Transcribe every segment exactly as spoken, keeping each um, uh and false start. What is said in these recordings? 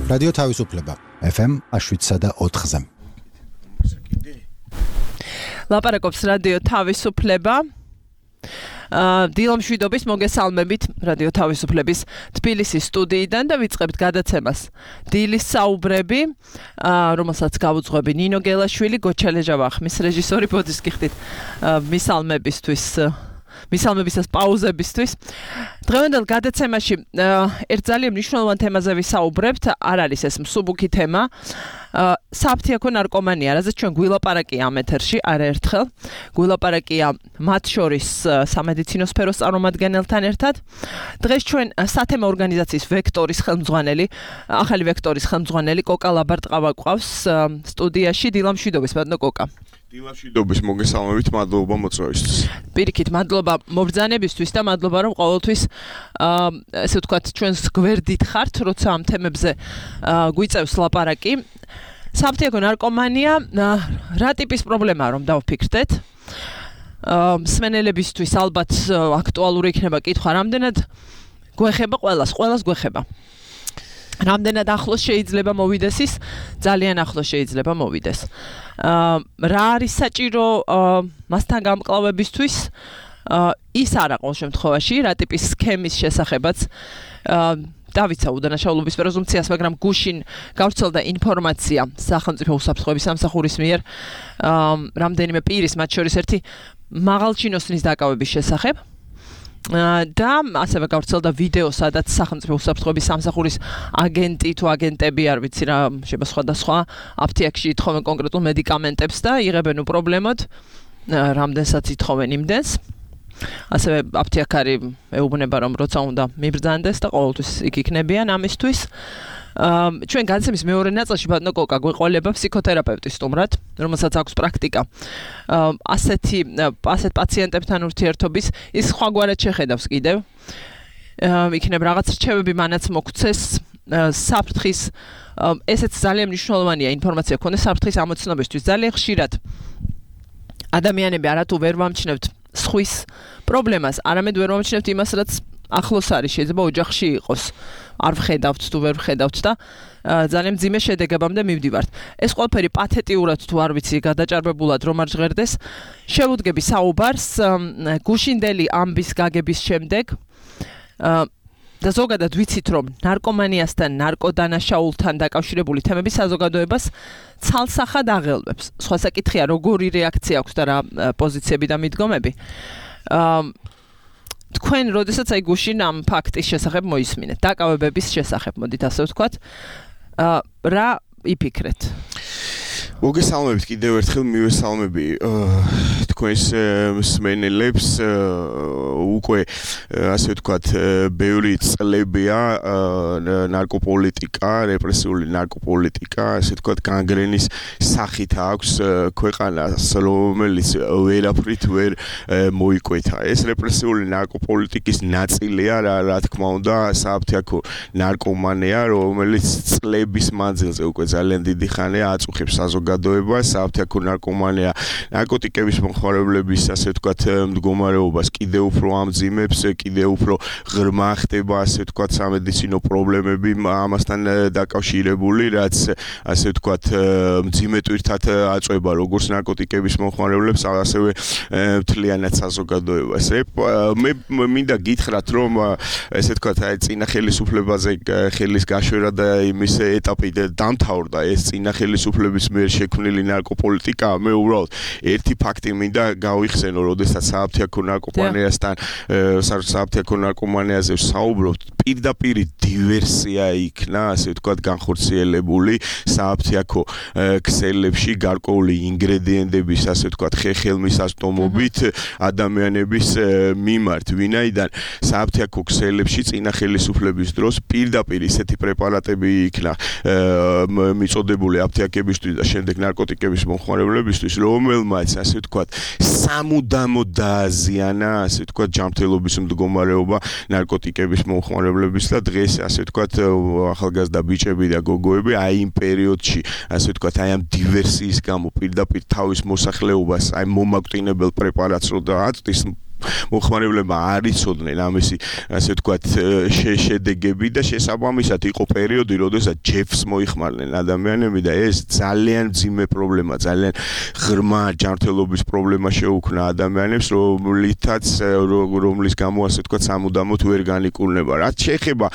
რადიო თავისუფლება ეფ ემ შვიდსა და ოთხზე. ლაპარაკობს რადიო თავისუფლება. დილა მშვიდობის მოგესალმებით რადიო თავისუფლების თბილისის სტუდიიდან და ვიწყებთ გადაცემას დილის საუბრები, რომელსაც გავუძღვები ნინო გელაშვილი, გოჩალეჟავა ხმის რეჟისორი, ბოდის გიხდით მისალმებისთვის მისალმებისას პაუზებისთვის. დღევანდელ გადაცემაში ერთ ძალიან მნიშვნელოვან თემაზე ვისაუბრებთ, არ არის ეს მსუბუქი თემა. საფთიაქო ნარკომანია, რაზეც ჩვენ გვილაპარაკია ამ ეთერში არაერთხელ. გვილაპარაკია მათ შორის სამედიცინო სფეროს წარმომადგენელთან ერთად. დღეს ჩვენ სათემო ორგანიზაციის ვექტორის ხელმძღვანელი, ახალი ვექტორის ხელმძღვანელი კოკა ლაბარტყავა გვყავს სტუდიაში. დილა მშვიდობის, ბატონო კოკა. დილა მშვიდობის, მოგესალმებით, მადლობა მოწვევისთვის. პირიქით, მადლობა მობრძანებისთვის და მადლობა რომ ყოველთვის ესე ვთქვათ ჩვენს გვერდით ხართ, როცა ამ თემებზე გვიწევს ლაპარაკი. საფთიაქო ნარკომანია რა ტიპის პრობლემაა, რომ დავფიქრდეთ? მსმენელებისთვის ალბათ აქტუალური იქნება კითხვა, რამდენად გვეხება ყველას, ყველას გვეხება. რამდენად ახლოს შეიძლება მოვიდეს ის, ძალიან ახლოს შეიძლება მოვიდეს. რა არის საჭირო მასთან გამკლავებისთვის? ის არა ყოველ შემთხვევაში, რა ტიპის სქემის შესახებაც დავიცა უდანაშაულობის პრეზუმპციას, მაგრამ გუშინ გავრცელდა ინფორმაცია სახელმწიფო უსაფრთხოების სამსახურის მიერ რამდენიმე პირის, მათ შორის ერთი მაღალჩინოსნის დაკავების შესახებ. და ასევე გავრცელდა ვიდეო, სადაც სახელმწიფო უსაფრთხოების სამსახურის აგენტი თუ აგენტები, არ ვიცი რა, შეიძლება სხვადასხვა აფთიაქში ითხოვენ კონკრეტულ მედიკამენტებს და იღებენ უპრობლემოდ, რამდენსაც ითხოვენ იმდენს. ასევე აფთიაქარი ეუბნება, რომ როცა უნდა მიბრძანდეს და ყოველთვის იქ იქნებიან ამისთვის. ჩვენ განცემის მეორე ნაწილში ბატონო კოკა გვეყოლება ფსიქოთერაპევტი სტუმრად, რომელსაც აქვს პრაქტიკა ასეთი ასეთ პაციენტებთან ურთიერთობის, ის სხვაგვარად შეხედავს კიდევ. იქნება რაღაც რჩევები მანაც მოგცეს საფრთხის, ესეც ძალიან მნიშვნელოვანია ინფორმაცია ქონდეს საფრთხის ამოცნობისთვის. ძალიან ხშირად ადამიანები არათუ ვერ ვამჩნევთ სხვის პრობლემას, არამედ ვერ ვამჩნევთ იმას, რაც ახლოს არის, შეიძლება ოჯახში იყოს. არ ვხედავთ თუ ვერ ვხედავთ და ძალიან მძიმე შედეგებამდე მივდივართ. ეს ყველაფერი პათეტიურად თუ არ ვიცი, გადაჭარბებულად რომ არ ჟღერდეს, შევუდგები საუბარს გუშინდელი ამბის გაგების შემდეგ და ზოგადად ვიცით, რომ ნარკომანიასთან, ნარკოდანაშაულთან დაკავშირებული თემები საზოგადოებას ცალსახად აღელვებს. სხვა საკითხია, როგორი რეაქცია აქვს და რა პოზიციები და მიდგომები. თქვენ როდესაც აი გუშინ ამ ფაქტის შესახებ მოისმინეთ, დაკავებების შესახებ, მოდით ასე ვთქვათ, რა იფიქრეთ? მოგესალმებით კიდევ ერთხელ, მივესალმები თქვენს მსმენელებს. უკვე ასე ვთქვათ, ბევრი წლებია ნარკოპოლიტიკა, რეპრესიული ნარკოპოლიტიკა, ასე ვთქვათ, განგრენის სახით აქვს ქვეყანას, რომელიც ვერაფრით ვერ მოიკვეთა. ეს რეპრესიული ნარკოპოლიტიკის ნაწილია, რა, რა თქმა უნდა, საფთიაქო ნარკომანია, რომელიც წლების მანძილზე უკვე ძალიან დიდი ხანია აწუხებს საზოგადოებას. საფთიაქო ნარკომანია ნარკოტიკების მომხმარებლების, ასე ვთქვათ, მდგომარეობას კიდევ უფრო ამძიმებს, კიდევ უფრო ღრმა ხდება, ასე ვთქვათ, სამედიცინო პრობლემები ამასთან დაკავშირებული, რაც ასე ვთქვათ, მძიმე ტვირთად აწვება როგორც ნარკოტიკების მომხმარებლებს, ასევე მთლიანად საზოგადოებას. მე მინდა გითხრათ, რომ ესე ვთქვათ, აი წინა ხელისუფლებაზე ხელის გაშვერა და იმის ეტაპი დამთავრდა, ეს წინა ხელისუფლების მიერ შექმნილი ნარკოპოლიტიკა. მე უბრალოდ ერთი ფაქტი მინდა გავიხსენო, როდესაც საფთიაქო ნარკომანიასთან საფთიაქო ნარკომანიაზე საუბრობთ, პირდაპირ დივერსია იქნა, ასე ვთქვათ, განხორციელებული საფთიაქო ქსელებში გარკვეული ინგრედიენტების, ასე ვთქვათ, ხეხელმისაწვდომობით ადამიანების მიმართ, ვინაიდან საფთიაქო ქსელებში წინა ხელისუფლების დროს პირდაპირ ისეთი პრეპარატები იქნა მიწოდებული აფთიაქებისთვის და შემდეგ ნარკოტიკების მომხმარებლებისთვის, რომელმაც, ასე ვთქვათ, სამუდამო დააზიანა, ასე ვთქვათ, ჯანმრთელობის მდგომარეობა ნარკოტიკების მომხმარებლების და დღეს, ასე ვთქვათ, ახალგაზრდა ბიჭები და გოგოები აი იმ პერიოდში, ასე ვთქვათ, აი ამ დივერსიის გამო პირდაპირ თავის მოსახლეობას, აი მომაკვდინებელ პრეპარატს რო დააწვის, მომხმარებლებმა არ იცოდნენ ამისი ასე ვთქვათ შედეგები და შესაბამისად იყო პერიოდი, როდესაც ჯეფს მოიხმარდნენ ადამიანები და ეს ძალიან ძიმე პრობლემა, ძალიან ღრმა ჯანმრთელობის პრობლემა შეუქმნა ადამიანებს, რომლითაც რომლის გამო ასე ვთქვათ სამუდამოდ ვერ განიკურნება. რაც შეეხება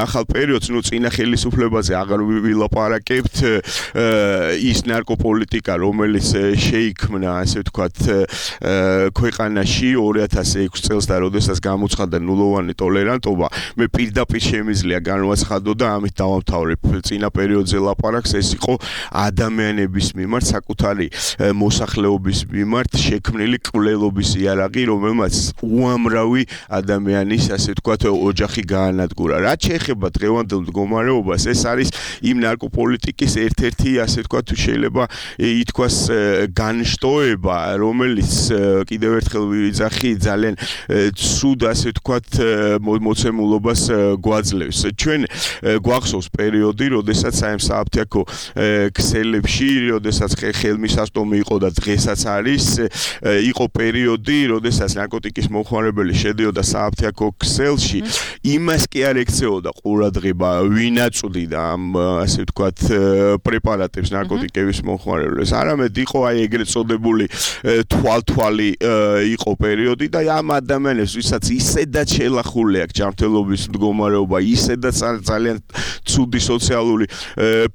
ახალ პერიოდს, ნუ წინა ხელისუფლებაზე აღარ ვილაპარაკებთ, ის ნარკოპოლიტიკა, რომელიც შეიქმნა, ასე ვთქვათ, ქვეყანაში ორი ათას ექვსი წელს და როდესაც გამოცხადდა ნულოვანი ტოლერანტობა, მე პირდაპირ შემიძლია განვაცხადო და ამით დავამთავრებ წინა პერიოდზე ლაპარაკს, ეს იყო ადამიანების მიმართ, საკუთარი მოსახლეობის მიმართ შექმნილი კვლელობის იარაღი, რომელმაც უამრავი ადამიანის, ასე ვთქვათ, ოჯახი გაანადგურა. რაც შეეხება დღევანდელ მდგომარეობას, ეს არის იმ ნარკოპოლიტიკის ერთ-ერთი, ასე ვთქვათ, შეიძლება ითქვას განშტოება, რომელიც კიდევ ერთხელ ვიძახი ძალიან ცუდ, ასე ვთქვათ, მოცემულობას გვაძლევს. ჩვენ გვახსოვს პერიოდი, როდესაც აი ამ სააფთიაქო ქსელებში, როდესაც ხელმისაწვდომი იყო და დღესაც არის, იყო პერიოდი, როდესაც ნარკოტიკის მომხმარებელი შედიოდა სააფთიაქო ქსელში, იმას კი არ ექცეოდა ყურადღება, ვინ აწვდიდა ამ, ასე ვთქვათ, პრეპარატებს ნარკოტიკების მომხმარებელს. არამედ იყო აი ეგრეთ წოდებული თვალთვალი იყო პერიოდი და ამ ადამიანებს, ვისაც ისედაც შელახული აქვს ჯანმრთელობის მდგომარეობა, ისედაც ძალიან ცუდი სოციალური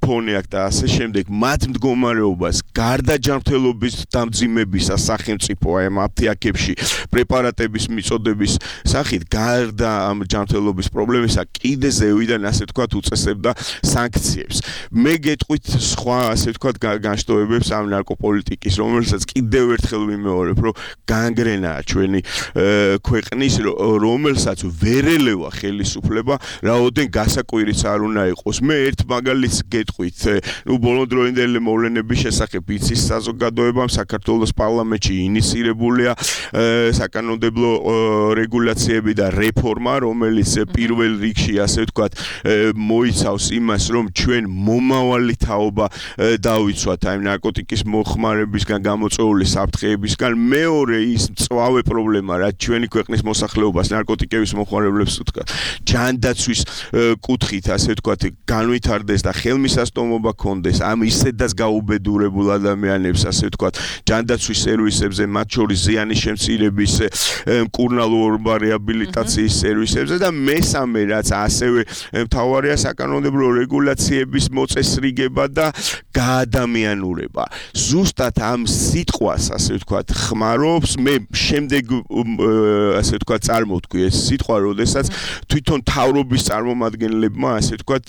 ფონი აქვს და ასე შემდეგ, მათ მდგომარეობას გარდა ჯანმრთელობის დამძიმებისა სახელმწიფო აი ამ აფთიაქებში პრეპარატების მიწოდების სახით, გარდა ამ ჯანმრთელობის პრობლემისა, კიდე ზევიდან, ასე ვთქვათ, უწესებდა სანქციებს. მე გეტყვით სხვა, ასე ვთქვათ, განშტოებებს ამ ნარკოპოლიტიკის, რომელსაც კიდევ ერთხელ ვიმეორებ, რომ განგრენაა ჩვენი ქვეყნის, რომელსაც ვერ ელევა ხელისუფლება, რაოდენ გასაკვირიც არ უნდა იყოს. მე ერთ მაგალითს გეტყვით, ნუ ბოლოდროინდელი მოვლენების შესახებ იცის საზოგადოებამ საქართველოს პარლამენტში ინიცირებულია საკანონმდებლო რეგულაციები და რეფორმა, რომელიც პირველ რიგში, ასე ვთქვათ, მოიცავს იმას, რომ ჩვენ მომავალი თაობა დავიცვათ აი ნარკოტიკის მოხმარებისგან გამოწვეული საფრთხეებისგან. მეორე ის მწვავე პრობლემა, რაც ჩვენი ქვეყნის მოსახლეობას ნარკოტიკების მომხმარებლებს ვთქვათ, ჯანდაცვის კუთხით, ასე ვთქვათ, განვითარდეს და ხელმისაწვდომობა ქონდეს ამ ისედაც გაუბედურებულ ადამიანებს, ასე ვთქვათ, ჯანდაცვის სერვისებზე, მათ შორის ზიანის შემცირების, მკურნალობა რეაბილიტაციის სერვისებზე და მესამე, რაც ასევე მთავარია, საკანონმდებლო რეგულაციების მოწესრიგება და გაადამიანურება. ზუსტად ამ სიტყვას, ასე ვთქვათ, ხმარობს, მე შემდეგ, ასე ვთქვათ, წარმოვთქვი ეს სიტყვა, როდესაც თვითონ თავრობის წარმომადგენლებმა, ასე ვთქვათ,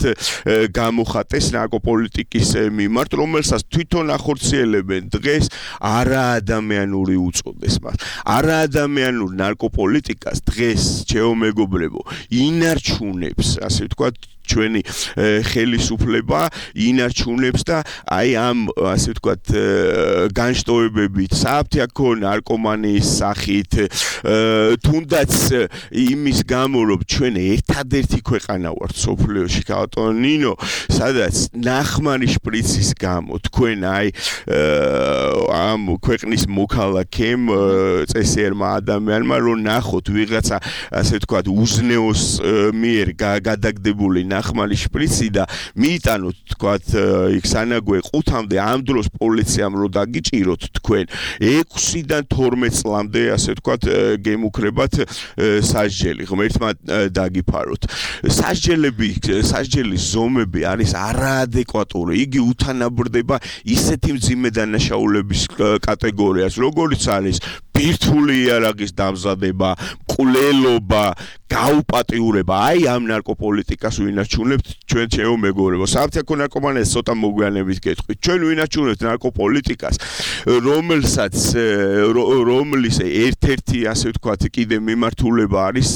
გამოხატეს ნარკოპოლიტიკის მიმართ, რომელსაც თვითონ ახორციელებენ დღეს არაადამიანური უწოდეს მას. არაადამიანურ ნარკოპოლიტიკას დღეს, ჩემო მეგობრებო, ინარჩუნებს, ასე ვთქვათ, ჩვენი ხელისუფლება ინარჩუნებს და აი ამ, ასე ვთქვათ, განშტოებებით, სააფთიაქო ნარკომანიის სახით, თუნდაც იმის გამო, რომ ჩვენ ერთადერთი ქვეყანა ვართ მსოფლიოში, ბატონო ნინო, სადაც ნახმარი შპრიცის გამო თქვენ აი ამ ქვეყნის მოქალაქემ, წესიერმა ადამიანმა, რომ ნახოთ ვიღაცა, ასე ვთქვათ, უზნეოს მიერ გადაგდებული ნახმარი შპრიცი და მიიტანოთ, თქვათ, იქ სანაგვე ყუთამდე ამ დროს პოლიციამ რო დაგიჭიროთ თქვენ ექვსიდან თორმეტ წლამდე, ასე ვთქვათ, გემუქრებათ სასჯელი, ღმერთმა დაგიფაროთ. სასჯელები, სასჯელის ზომები არის არაადეკვატური. იგი უთანაბრდება ისეთი მძიმე დანაშაულების კატეგორიას, როგორიც არის ბირთვული იარაღის დამზადება, მკვლელობა, გაუპატიურება. აი ამ ნარკოპოლიტიკას ვინარჩუნებთ ჩვენ, ჩემო მეგობრებო. სააფთიაქო ნარკომანიას ცოტა მოგვიანებით გეტყვით. ჩვენ ვინარჩუნებთ ნარკოპოლიტიკას, რომელსაც რომლის ერთ-ერთი, ასე ვთქვათ, კიდე მიმართულება არის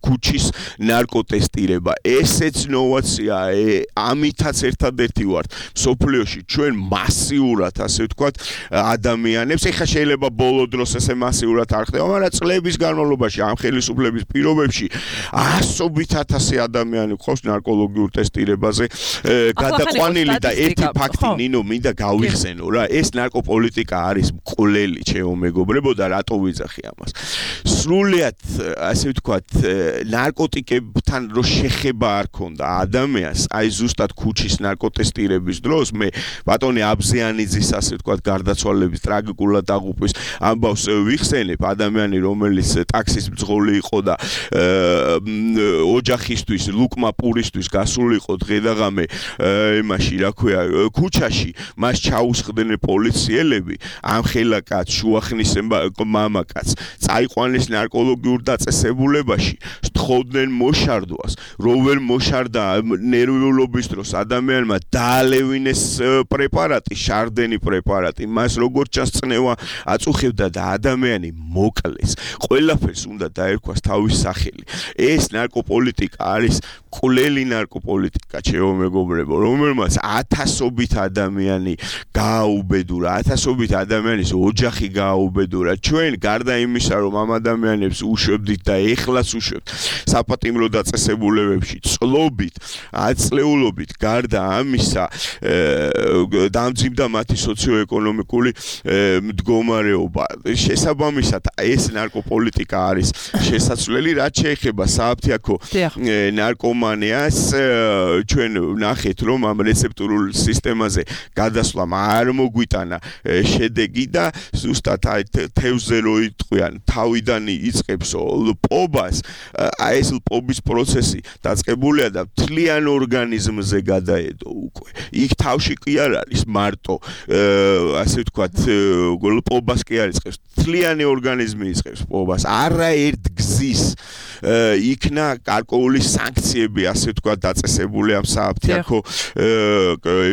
ქუჩის ნარკოტესტირება. ესეც ნოვაციაა, ამითაც ერთადერთი ვართ მსოფლიოში ჩვენ მასიურად, ასე ვთქვათ, ადამიანებს. ეხლა შეიძლება ბოლო დროს ესე მასიურად არ ხდება, მაგრამ წლების განმავლობაში ამ ხელისუფლების პირობებში ასობით ათასი ადამიანი ყავს ნარკოლოგიურ ტესტირებაზე გადაყვანილი და ერთი ფაქტი ნინო მინდა გავიხსენო რა ეს ნარკოპოლიტიკა არის მკვლელი ჩემო მეგობრებო და რატო ვიძახი ამას სრულიად ასე ვთქვათ ნარკოტიკებთან რო შეხება არ ქონდა ადამიანს აი ზუსტად ქუჩის ნარკოტესტირების დროს მე ბატონი აბზიანიძის ასე ვთქვათ გარდაცვალების ტრაგიკულად აღუპვის ამბავს ვიხსენებ ადამიანი რომელიც ტაქსის მძღოლი იყო და ოჯახისთვის ლუკმა პურისთვის გასული იყო დღე და ღამე იმაში რა ქვია ქუჩაში მას ჩაუსხდნენ პოლიციელები ამ ხელაკაც შუახნის მამაკაც წაიყვანეს ნარკოლოგიურ დაწესებულებაში სთხოვდნენ მოშარდვას რო ვერ მოშარდა ნერვიულობის დროს ადამიანმა დაალევინეს პრეპარატი შარდენი პრეპარატი მას როგორც ჩანს წნევა აწუხებდა და ადამიანი მოკლეს ყველაფერს უნდა დაერქვას თავის სახელი ეს ნარკოპოლიტიკა არის კვლელი ნარკოპოლიტიკა ჩემო მეგობრებო რომელმაც ათასობით ადამიანი გააუბედურა ათასობით ადამიანის ოჯახი გააუბედურა ჩვენ გარდა იმისა რომ ამ ადამიანებს უშვებდით და ეხლაც უშვებთ საპატიმრო დაწესებულებებში წლობით აწლეულობით გარდა ამისა დამძიმდა მათი სოციოეკონომიკური მდგომარეობა შესაბამისად ეს ნარკოპოლიტიკა არის შესაძლებელი რაც შეეხება სააფთიაქო ნარკომანიას ჩვენ ნახეთ რომ ამ რეცეპტურულ სისტემაზე გადასვლამ არ მოგვიტანა შედეგი და ზუსტად აი თევზზე რო იტყვიან თავიდან იწყებს პობას აი ეს პობის პროცესი დაწყებულია და მთლიან ორგანიზმზე გადაედო უკვე იქ თავში კი არ არის მარტო ასე ვთქვათ პობას კი არ იწყებს მთლიანი ორგანიზმი იწყებს პობას არაერთ გზის იქნა გარკვეული სანქციები ასე ვთქვათ დაწესებული ამ სააფთიაქო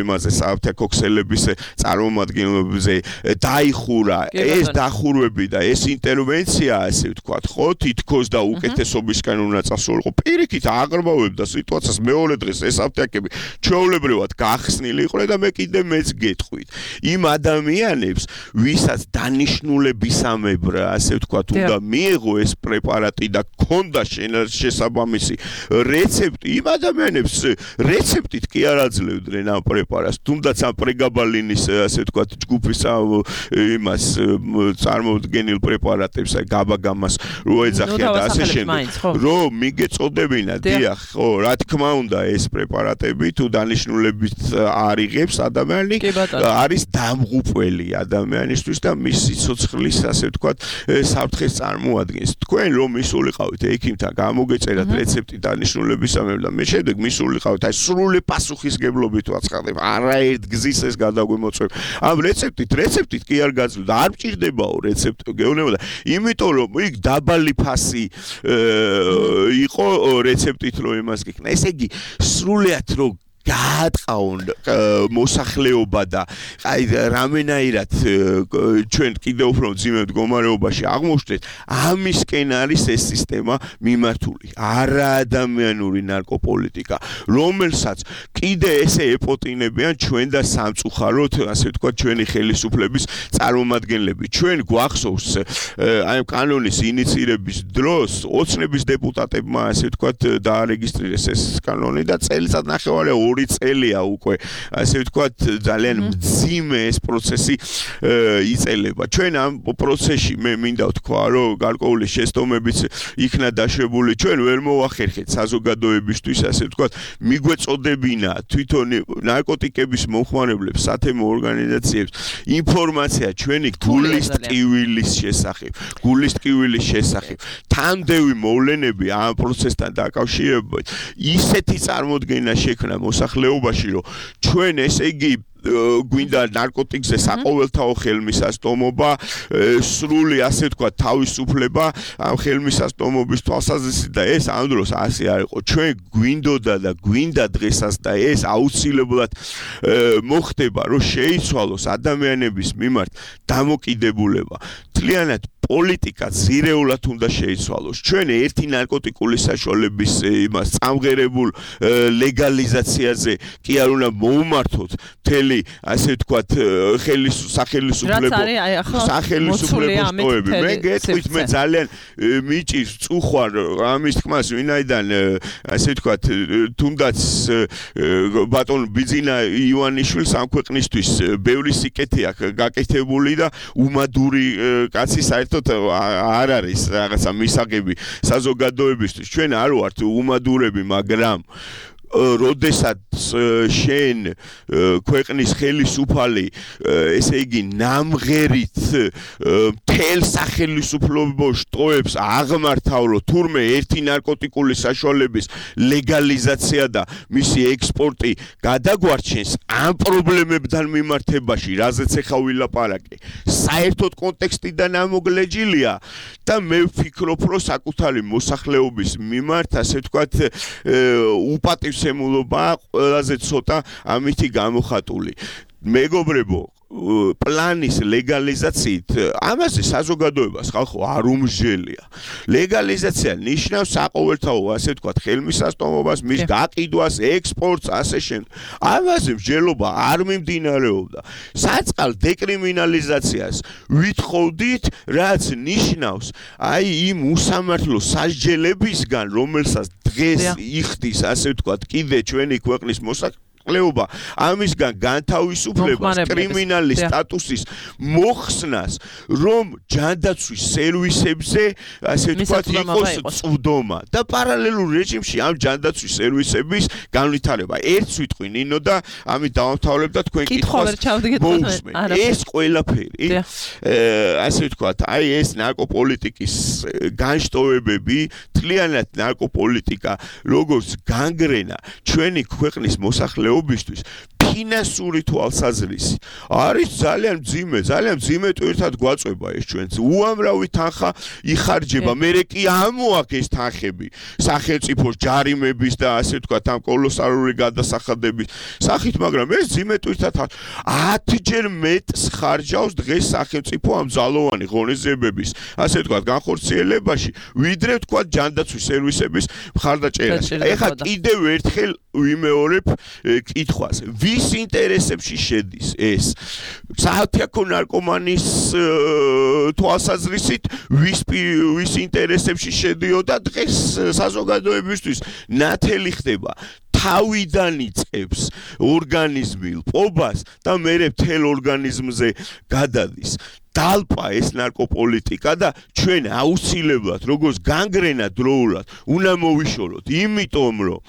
იმაზე სააფთიაქო ქსელების წარმომადგენლებზე დაიხურა ეს დახურვები და ეს ინტერვენცია ასე ვთქვათ ხო თითქოს და უკეთესობისკენ უნდა წასულიყო პირიქით აღრმავებდა სიტუაციას მეორე დღეს ეს აფთიაქები ჩვეულებრივად გახსნილი იყვნენ და მე კიდე მეც გეტყვით იმ ადამიანებს ვისაც დანიშნულებისამებრ ასე ვთქვათ უნდა მიეღო ეს პრეპარატი და ქონდა შესაბამისი რეცეპტი იმ ადამიანებს რეცეპტით კი არ აძლევდნენ ამ პრეპარატს თუნდაც ამ პრეგაბალინის ასე ვთქვათ ჯგუფის იმას წარმოდგენილ პრეპარატებს აი გაბაგამას რო ეძახიან და ასე შემდეგ რომ მიგეწოდებინა დიახ ხო რა თქმა უნდა ეს პრეპარატები თუ დანიშნულებით არიღებს ადამიანი არის დამღუპველი ადამიანისთვის და მის სიცოცხლის ასე ვთქვათ საფრთხეს წარმოადგენს თქვენ რომ მისულიყავით ექიმთან გამოგეწერათ რეცეპტი დანიშნულებისამებრ და მე შემდეგ მისულიყავით აი სრული პასუხისგებლობით ვაცხადებ არაერთ გზის ეს გადაგვიმოწვევ ამ რეცეპტით რეცეპტით კი არ გაძლევ არ მჭირდებაო რეცეპტი გეუბნება იმიტომ რომ იქ დაბალი ფასი იყო რეცეპტით რომ იმას გიქნა ესე იგი სრულიად რომ გაატყაონ მოსახლეობა და აი რამენაირად ჩვენ კიდევ უფრო მძიმე მდგომარეობაში აღმოჩნდეთ ამისკენ არის ეს სისტემა მიმართული არაადამიანური ნარკოპოლიტიკა რომელსაც კიდე ესე ეპოტინებიან ჩვენ და სამწუხაროდ ასე ვთქვათ ჩვენი ხელისუფლების წარმომადგენლები ჩვენ გვახსოვს აი კანონის ინიციირების დროს ოცნების დეპუტატებმა ასე ვთქვათ დაარეგისტრირეს ეს კანონი და წელიწად ნახევარი ორი წელია უკვე ასე ვთქვათ ძალიან მძიმე ეს პროცესი იწელება ჩვენ ამ პროცესში მე მინდა ვთქვა რომ გარკვეული შეცდომებიც იქნა დაშვებული ჩვენ ვერ მოვახერხეთ საზოგადოებისთვის ასე ვთქვათ მიგვეწოდებინა თვითონ ნარკოტიკების მომხმარებლებს სათემო ორგანიზაციებს ინფორმაცია ჩვენი გულის ტკივილის შესახებ გულის ტკივილის შესახებ თანდევი მოვლენები ამ პროცესთან დაკავშირებით ისეთი წარმოდგენა შექმნა მოსახლეობაში რომ ჩვენ ესე იგი გვინდა ნარკოტიკზე საყოველთაო ხელმისაწვდომობა სრული ასე ვთქვათ თავისუფლება ამ ხელმისაწვდომობის თვალსაზრისით და ეს ამ დროს ასე არ იყო ჩვენ გვინდოდა და გვინდა დღესაც და ეს აუცილებლად მოხდება რომ შეიცვალოს ადამიანების მიმართ დამოკიდებულება მთლიანად პოლიტიკა ძირეულად უნდა შეიცვალოს. ჩვენ ერთი ნარკოტიკული საშუალების იმას წამღერებულ ლეგალიზაციაზე კი არ უნდა მოუმართოთ მთელი ასე ვთქვათ სახელმწიფო სახელმწიფოების ტოები. მე გეტყვით მე ძალიან მიჭირს წუხვარ ამის თქმას ვინაიდან ასე ვთქვათ თუნდაც ბატონ ბიძინა ივანიშვილს ამ ქვეყნისთვის ბევრი სიკეთე აქვს გაკეთებული და უმადური კაცი საერთოდ არ არის რაღაცა მისაღები საზოგადოებისთვის. ჩვენ არ ვართ უმადურები, მაგრამ როდესაც შენ ქვეყნის ხელისუფალი ესე იგი ნამღერით მთელ სახელმწიფოს ტოებს აღმართავ თურმე ერთი ნარკოტიკული საშუალების ლეგალიზაცია და მისი ექსპორტი გადაგვარჩენს ამ პრობლემებთან მიმართებაში, რაზეც ახლა ვილაპარაკე, საერთოდ კონტექსტიდან ამოგლეჯილია და მე ვფიქრობ, რომ საკუთარი მოსახლეობის მიმართ ასე ვთქვათ უპატივს ემულობა ყველაზე ცოტა ამითი გამოხატული. მეგობრებო, პლანის ლეგალიზაციით ამაზე საზოგადოებას ხალხო არ უმსჯელია. ლეგალიზაცია ნიშნავს საყოველთაო ასე ვთქვათ ხელმისაწვდომობას, მის გაყიდვას, ექსპორტს, ასე შემდეგ. ამაზე მსჯელობა არ მიმდინარეობდა. საწყალ დეკრიმინალიზაციას ვითხოვდით, რაც ნიშნავს აი იმ უსამართლო სასჯელებისგან, რომელსაც დღეს იხდის ასე ვთქვათ კიდე ჩვენი ქვეყნის მოსახლეობა ყლეობა ამისგან განთავისუფლებას კრიმინალის სტატუსის მოხსნას რომ ჯანდაცვის სერვისებზე ასე ვთქვათ იყოს წვდომა და პარალელურ რეჟიმში ამ ჯანდაცვის სერვისების განვითარება. ერთს ვიტყვი ნინო და ამით დავამთავრებ და თქვენ კითხვას მოусმენ. ეს ყველაფერი ასე ვთქვათ აი ეს ნარკოპოლიტიკის განშტოებები, თლიანად ნარკოპოლიტიკა როგორც განგრენა ჩვენი ქვეყნის მოსახლეობის ობისთვის ფინანსური თვალსაზრისი არის ძალიან მძიმე, ძალიან მძიმე ტვირთად გვაწვება ეს ჩვენც. უამრავი თანხა იხარჯება, მერე კი ამოაქვს ეს თანხები სახელმწიფოს ჯარიმების და ასე ვთქვათ ამ კოლოსალური გადასახადების სახით, მაგრამ ეს მძიმე ტვირთად ათჯერ მეტს ხარჯავს დღეს სახელმწიფო ამ ძალოვანი ღონისძიებების ასე ვთქვათ განხორციელებაში, ვიდრე ვთქვათ ჯანდაცვის სერვისების მხარდაჭერაში. ეხლა კიდევ ერთხელ ვიმეორებ კითხვას. ვის ინტერესებში შედის ეს? საათიაქო ნარკომანის თვალსაზრისით ვის ვის ინტერესებში შედიოდა დღეს საზოგადოებისთვის ნათელი ხდება. თავიდან იწყებს ორგანიზმი პობას და მერე მთელ ორგანიზმზე გადადის. დალპა ეს ნარკოპოლიტიკა და ჩვენ აუცილებლად როგორც განგრენა დროულად უნდა მოვიშოროთ, იმიტომ რომ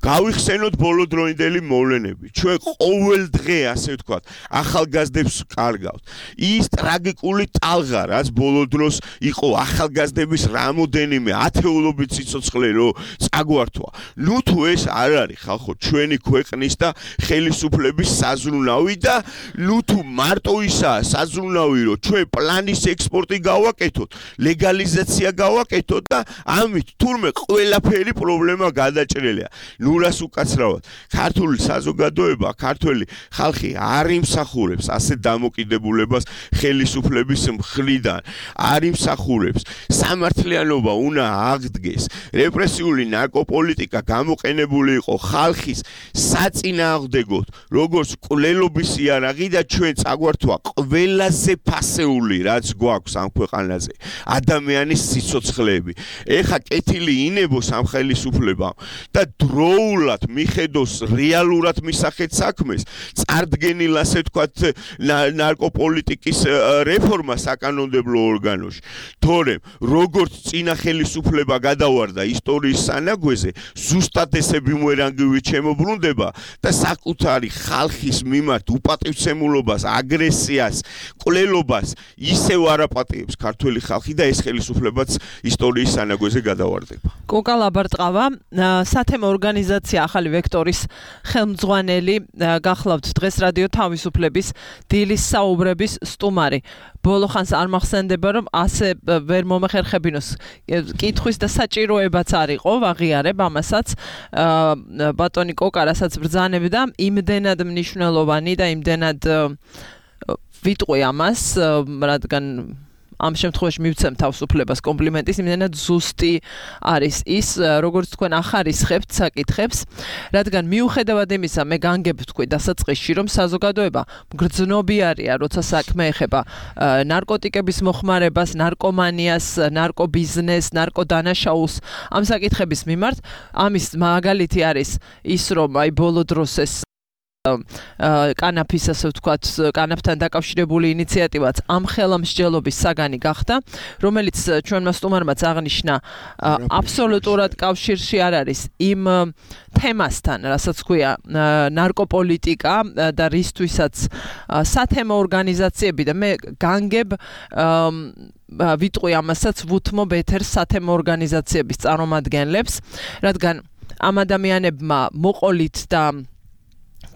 გავიხსენოთ ბოლოდროინდელი მოვლენები. ჩვენ ყოველ დღე ასე ვთქვათ ახალგაზრდებს კარგავთ. ის ტრაგიკული ტალღა, რაც ბოლო დროს იყო ახალგაზრდების რამოდენიმე ათეულობით სიცოცხლე რო წაგვართვა. ნუ თუ ეს არ არის ხალხო ჩვენი ქვეყნის და ხელისუფლების საზრუნავი და ნუ თუ მარტო ისაა საზრუნავი რომ ჩვენ პლანის ექსპორტი გავაკეთოთ, ლეგალიზაცია გავაკეთოთ და ამით თურმე ყველაფერი პრობლემა გადაჭრილია. ნუ რას უკაცრავად, ქართული საზოგადოება, ქართველი ხალხი არ იმსახურებს ასეთ დამოკიდებულებას ხელისუფლების მხრიდან, არ იმსახურებს. სამართლიანობა უნდა აღდგეს. რეპრესიული ნარკოპოლიტიკა გამოყენებული იყო ხალხის საწინააღმდეგოდ, როგორც კვლელობის იარაღი და ჩვენ წაგვართვა ყველაზე ფასეული რაც გვაქვს ამ ქვეყანაზე ადამიანის სიცოცხლეები. ეხა კეთილი ინებოს ამ ხელისუფლებამ და დროულად მიხედოს რეალურად მისახეთ საქმეს, წარდგენილ ასე ვთქვათ ნარკოპოლიტიკის რეფორმა საკანონმდებლო ორგანოში. თორემ როგორც წინა ხელისუფლება გადავარდა ისტორიის სანაგვეზე, ზუსტად ესე ბუმერანგივით შემოbrunდება და საკუთარი ხალხის მიმართ უპატივცემულობას, აგრესიას, კვლელობას ისევ არაპატიებს ქართველი ხალხი და ეს ხელისუფლებაც ისტორიის სანაგვეზე გადავარდება. კოკა ლაბარტყავა, სათემო ორგანიზაცია ახალი ვექტორის ხელმძღვანელი, გახლავთ დღეს რადიო თავისუფლების დილის საუბრების სტუმარი. ბოლო ხანს არ მახსენდება რომ ასე ვერ მომეხერხებინოს კითხვის და საჭიროებაც არ იყო, ვაღიარებ ამასაც. ბატონი კოკა რასაც ბრძანებდა, იმდენად მნიშვნელოვანი და იმდენად ვიტყვი ამას, რადგან ამ შემთხვევაში მივცემ თავისუფლებას კომპლიმენტის, იმდენად ზუსტი არის ის, როგორც თქვენ ახარისხებთ საკითხებს, რადგან მიუხედავად იმისა, მე განგებ თქვი დასაწყისში, რომ საზოგადოება მგრძნობიარია, როცა საქმე ეხება ნარკოტიკების მოხმარებას, ნარკომანიას, ნარკობიზნესს, ნარკოდანაშაულს, ამ საკითხების მიმართ. ამის მაგალითი არის ის, რომ აი ბოლო დროს ეს კანაფის, ასე ვთქვათ, კანაფთან დაკავშირებული ინიციატივაც ამ ხელმსჯელობის საგანი გახდა, რომელიც ჩვენმა სტუმარმაც აღნიშნა აბსოლუტურად კავშირში არ არის იმ თემასთან, რასაც ქვია ნარკოპოლიტიკა და რისთვისაც სათემო ორგანიზაციები და მე განგებ ვიტყვი ამასაც ვუთმობ ეთერს სათემო ორგანიზაციების წარმომადგენლებს, რადგან ამ ადამიანებმა მოყოლით და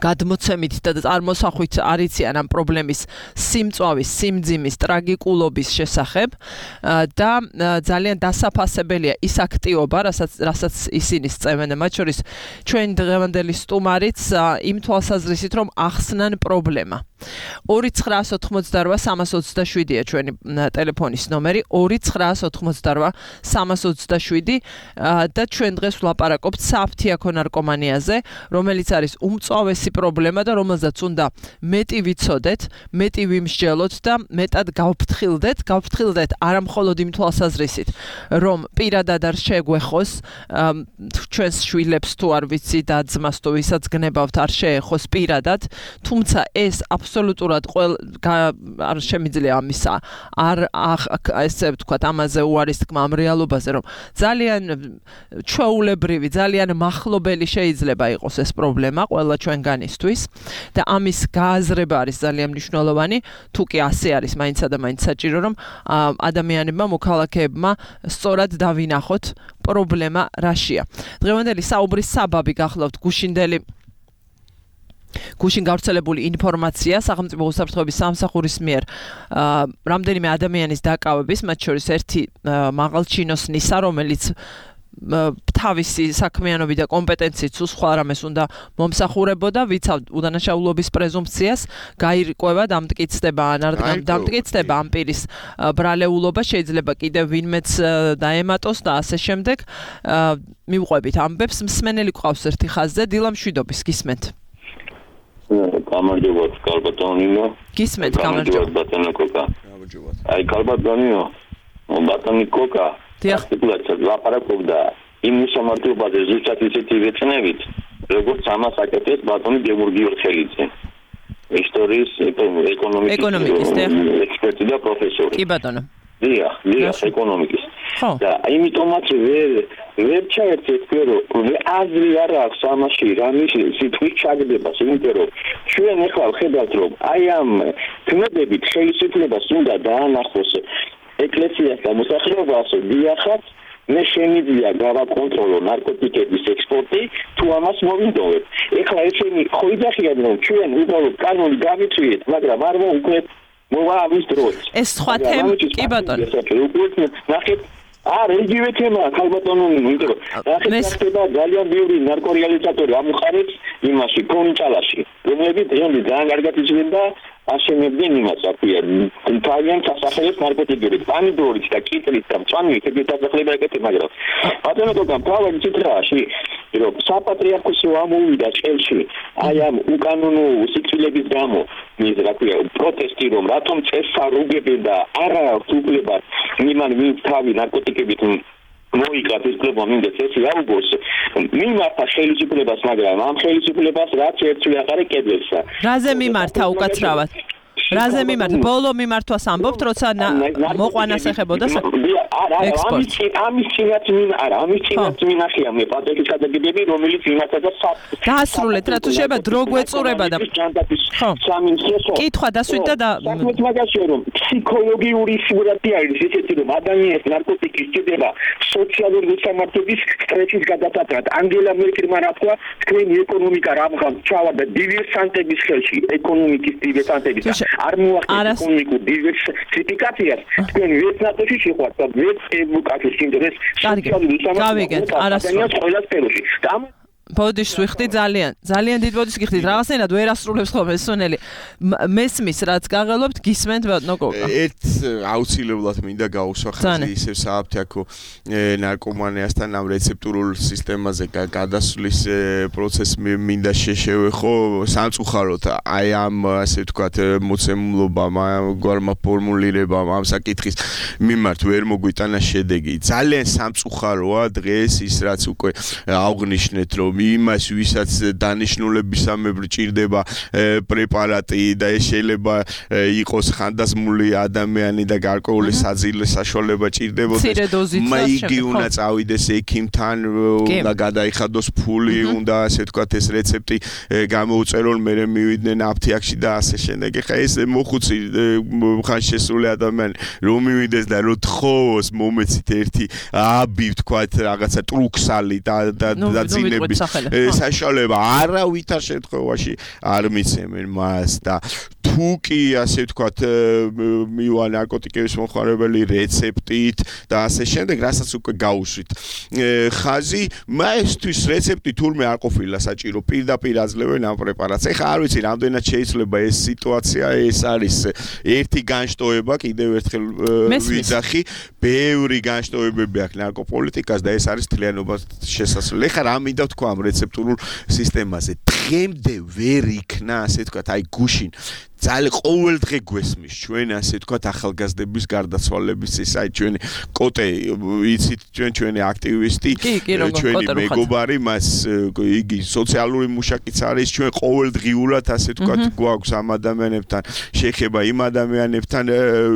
გადმოცემით და წარმოსახვით არიციან ამ პრობლემის სიმწვავის, სიმძიმის, ტრაგიკულობის შესახებ და ძალიან დასაფასებელია ის აქტივობა, რასაც რასაც ისინი სწევენ, მათ შორის ჩვენ დღევანდელი სტუმარიც იმ თვალსაზრისით, რომ ახსნან პრობლემა. ორი ცხრაას ოთხმოცდარვა სამას ოცდაშვიდია ჩვენი ტელეფონის ნომერი, ორი ცხრაას ოთხმოცდარვა სამას ოცდაშვიდი და ჩვენ დღეს ვლაპარაკობთ საფთიაქო ნარკომანიაზე, რომელიც არის უმწვავესი პრობლემა და რომელზეც უნდა მეტი ვიცოდეთ, მეტი ვიმსჯელოთ და მეტად გავფრთხილდეთ, გავფრთხილდეთ არა მხოლოდ იმ თვალსაზრისით, რომ პირადად არ შეგვეხოს ჩვენს შვილებს თუ არ ვიცი და ძმას თუ ვისაც გნებავთ არ შეეხოს პირადად, თუმცა ეს აბსოლუტურად არ შემიძლია ამისა არ ესე ვთქვათ ამაზე უარის თქმა ამ რეალობაზე, რომ ძალიან ჩვეულებრივი, ძალიან მახლობელი შეიძლება იყოს ეს პრობლემა ყველა ჩვენგანისთვის და ამის გააზრება არის ძალიან მნიშვნელოვანი, თუ კი ასე არის მაინცა და მაინც საჭირო, რომ ადამიანებმა, მოქალაქეებმა სწორად დავინახოთ პრობლემა რაშია. დღევანდელი საუბრის საბაბი გახლავთ გუშინდელი გუშინ გავრცელებული ინფორმაცია სახელმწიფო უსაფრთხოების სამსახურის მიერ რამდენიმე ადამიანის დაკავების, მათ შორის ერთი მაღალჩინოსნისა, რომელიც თავისი საქმიანობით და კომპეტენციით სხვა რამეს უნდა მომსახურებოდა, ვიცავ უდანაშაულობის პრეზუმპციას, გაირკვევა დამტკიცდება ან არ დამტკიცდება ამ პირის ბრალეულობა, შეიძლება კიდევ ვინმეც დაემატოს და ასე შემდეგ. მივყვებით ამბებს, მსმენელი გვყავს ერთი ხაზზე, დილა მშვიდობის, გისმენთ. გამარჯობათ, კარბატონინო. გისმენთ, გამარჯობათ. ბატონო კოკა. აი, კარბატონინო. ბატონი კოკა. დიახ. ლაპარაკობდა იმ მოსამართლობაზე ზუსტად ისეთი ვეცნებით, როგორც ამას აკეთებს ბატონი გიორგი ორხელიძე. ისტორიის ეკონომიკის ექსპერტი და პროფესორი. კი ბატონო. დიახ, დიახ, ეკონომიკის. და იმიტომაც ვერ ვერ ჩაერთეთ, რომ აზრი არ აქვს ამაში, რამის სიტყვით ჩაგდებას, იმიტომ რომ ჩვენ ახლა ვხედავთ, რომ აი ამ თმედებით ხელისუფლებას უნდა დაანახოს ეკლესიას და მოსახლეობას, დიახაც, მე შემიძლია გავაკონტროლო ნარკოტიკების ექსპორტი, თუ ამას მოვინდოვებ. ეხლა ესენი ხო იძახიან, რომ ჩვენ უბრალოდ კანონი გავიწვიეთ, მაგრამ არ მოვუქმნეთ მოვა ამის დროს. ეს სხვა თემა, კი ბატონო. ნახეთ, არა, იგივე თემაა, ხალბატონო, იმიტომ რომ ნახეთ, ხდება ძალიან ბევრი ნარკორეალიზატორი ამუხარებს იმაში, კონჭალაში, რომლებიც დღემდე ძალიან კარგად იცვლენ და აშენებდნენ იმას, აფია, თავიანთ სასახლეს ნარკოტიკებით, პამიდორით და კიტლით და მწვანეით ეგეთ დასახლება ეკეთებ, მაგრამ ბატონო კოკა, თავი ციტრაში, რომ საპატრიარქოსო ამოვიდა წელში, აი ამ უკანონო სიკვდილების გამო, ის რა ქვია, პროტესტი, რომ რატომ წესარუგებენ და არა უფლება იმან ვინც თავი ნარკოტიკებით მოიგებს ეს პრობლემა მინდა წესი აუგოს მიმართა ხელისუფლებას, მაგრამ ამ ხელისუფლებას რაც ერთვე აღარ ეკებლებსა. რაზე მიმართა უკაცრავად? რაზე მიმართ? ბოლო მიმართვას ამბობთ, როცა მოყვანას ეხებოდა ამის ამის წინათ მინ არა ამის წინათ მინახია მე პატრიკის გადაგებები, რომელიც იმართა და დაასრულეთ, რა თუ შეიძლება დრო გვეწურება და სამინისტროს კითხვა დასვით და საქმეთ მაგაშია, რომ ფსიქოლოგიური სურათი არის ესეთი, რომ ადამიანს ნარკოტიკის ჭირდება სოციალური უსამართლობის სტრესის გადასატრად. ანგელა მერკელმა რა თქვა, თქვენი ეკონომიკა რამღამ ჩავარდა დივერსანტების ხელში, ეკონომიკის დივერსანტების არ მოახერხეთ ეკონომიკურ დივერსიფიკაციას, თქვენ ვერც ნატოში შეხვართ და ვერც ევროკავშირის ინტერეს სოციალური გავიგეთ, არასდროს ყველა სფეროში. და ბოდიშს ვიხდი ძალიან ძალიან დიდ ბოდიშს გიხდით რაღაცნაირად ვერ ასრულებს ხოლმე სუნელი მესმის რაც გაღელობთ გისმენთ ბატონო კოკა ერთ აუცილებლად მინდა გაუსვა ხაზი ისევ სააფთიაქო ნარკომანიასთან ამ რეცეპტურულ სისტემაზე გადასვლის პროცესს მინდა შეშევეხო სამწუხაროდ აი ამ ასე ვთქვათ მოცემულობამ ამ გვარმა ფორმულირებამ ამ საკითხის მიმართ ვერ მოგვიტანა შედეგი ძალიან სამწუხაროა დღეს ის რაც უკვე აღნიშნეთ რომ იმას ვისაც დანიშნულებისამებრ ჭირდება პრეპარატი და ეს შეიძლება იყოს ხანდაზმული ადამიანი და გარკვეული საძილე საშუალება ჭირდებოდეს მაიგი უნდა წავიდეს ექიმთან და გადაიხადოს ფული უნდა ასე ვთქვათ ეს რეცეპტი გამოუწერონ მერე მივიდნენ აფთიაქში და ასე შემდეგ ეხა ეს მოხუცი ხან შესული ადამიანი რომ მივიდეს და რომ თხოვოს მომეცით ერთი აბი ვთქვათ რაღაცა ტრუქსალი და დაძინების საშუალება არავითარ შემთხვევაში არ მიცემენ მას და თუ კი ასე ვთქვათ მივა ნარკოტიკების მომხმარებელი რეცეპტით და ასე შემდეგ რასაც უკვე გაუშვით ხაზი მაესთვის რეცეპტი თურმე არ ყოფილა საჭირო პირდაპირ აძლევენ ამ პრეპარატს ეხა არ ვიცი რამდენად შეიძლება ეს სიტუაცია ეს არის ერთი განშტოება კიდევ ერთხელ ვიძახი ბევრი განშტოებები აქვს ნარკოპოლიტიკას და ეს არის თლიანობას შესაძლებელი ეხა რა მინდა ვთქვა ამ რეცეპტურულ სისტემაზე დღემდე ვერ იქნა ასე ვთქვათ აი გუშინ ძალიან ყოველდღე გვესმის ჩვენ ასე ვთქვათ ახალგაზრდების გარდაცვალების ის აი ჩვენი კოტე იცით ჩვენ ჩვენი აქტივისტი ჩვენი მეგობარი მას იგი სოციალური მუშაკიც არის ჩვენ ყოველდღიურად ასე ვთქვათ გვაქვს ამ ადამიანებთან შეხება იმ ადამიანებთან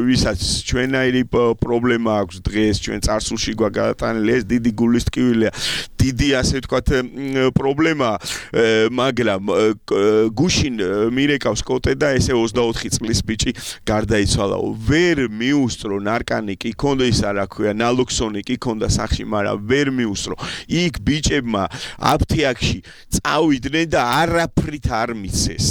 ვისაც ჩვენაირი პრობლემა აქვს დღეს ჩვენ წარსულში გვაგატანილი ეს დიდი გულის ტკივილია დიდი ასე ვთქვათ პრობლემა მაგრამ გუშინ მირეკავს კოტე და ესე ოცდაოთხი წლის ბიჭი გარდაიცვალაო ვერ მიუსწრო ნარკანიკი ქონდა ის არა ქვია ნალოქსონიკი ქონდა სახში მაგრამ ვერ მიუსწრო იქ ბიჭებმა აფთიაქში წავიდნენ და არაფრით არ მიცეს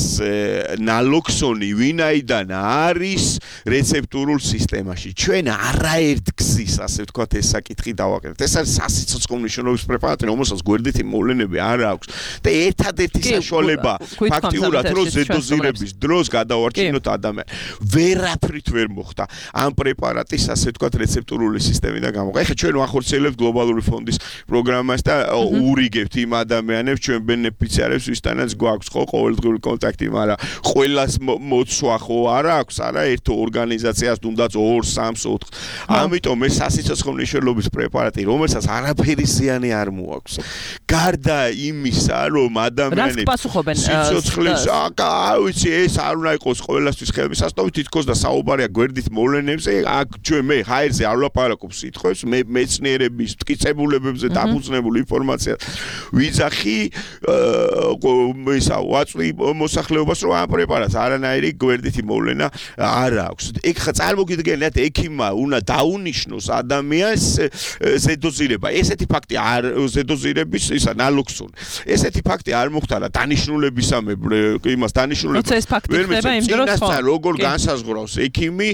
ნალოქსონი ვინაიდან არის რეცეპტურულ სისტემაში ჩვენ არაერთ გზის ასე ვთქვათ ეს საკითხი დავაკეთეთ ეს არის სასიცოცხლო მნიშვნელობის პრეპარატი რომელსაც გვერდითი მოვლენები არ აქვს და ერთადერთი საშუალება ფაქტიურად რომ ზედოზირების დროს გადავარჩინოთ ადამიანს ვერაფრით ვერ მოხდა ამ პრეპარატის ასე ვთქვათ რეცეპტურული სისტემიდან გამოყვა ეხლა ჩვენ ვახორციელებთ გლობალური ფონდის პროგრამას და ურიგებთ იმ ადამიანებს ჩვენ ბენეფიციარებს ვისთანაც გვაქვს ხო ყოველდღიური კონტაქტი მაგრამ ყველას მოცვა ხო არ აქვს არა ერთ ორგანიზაციას თუნდაც ორ სამს ოთხ ამიტომ ეს სასიცოცხლო მნიშვნელობის პრეპარატი რომელსაც არაფერი ზიანი არ მოაქვს გარდა იმისა რომ ადამიანებს სიცოცხლის აა ვიცი ეს არ უნდა იყოს ყველასთვის ხელმისაწვდომი თითქოს და საუბარია გვერდით მოვლენებზე აქ ჩვენ მე ჰაერზე არ ვლაპარაკობ სიტყვებს მე მეცნიერების მტკიცებულებებზე დაფუძნებული ინფორმაცია ვიძახი ისა ვაწვი მოსახლეობას რომ ამ პრეპარატს არანაირი გვერდითი მოვლენა არ აქვს ეგ ხა წარმოგიდგენიათ ექიმმა უნდა დაუნიშნოს ადამიანს ზედოზირება ესეთი ფაქტი არ ზედოზირების ისა ნალოქსონი ესეთი ფაქტი არ მოხდა რა დანიშნულებისამებრ იმას დანიშნულებას ვერ მეცემა როგორ განსაზღვრავს ექიმი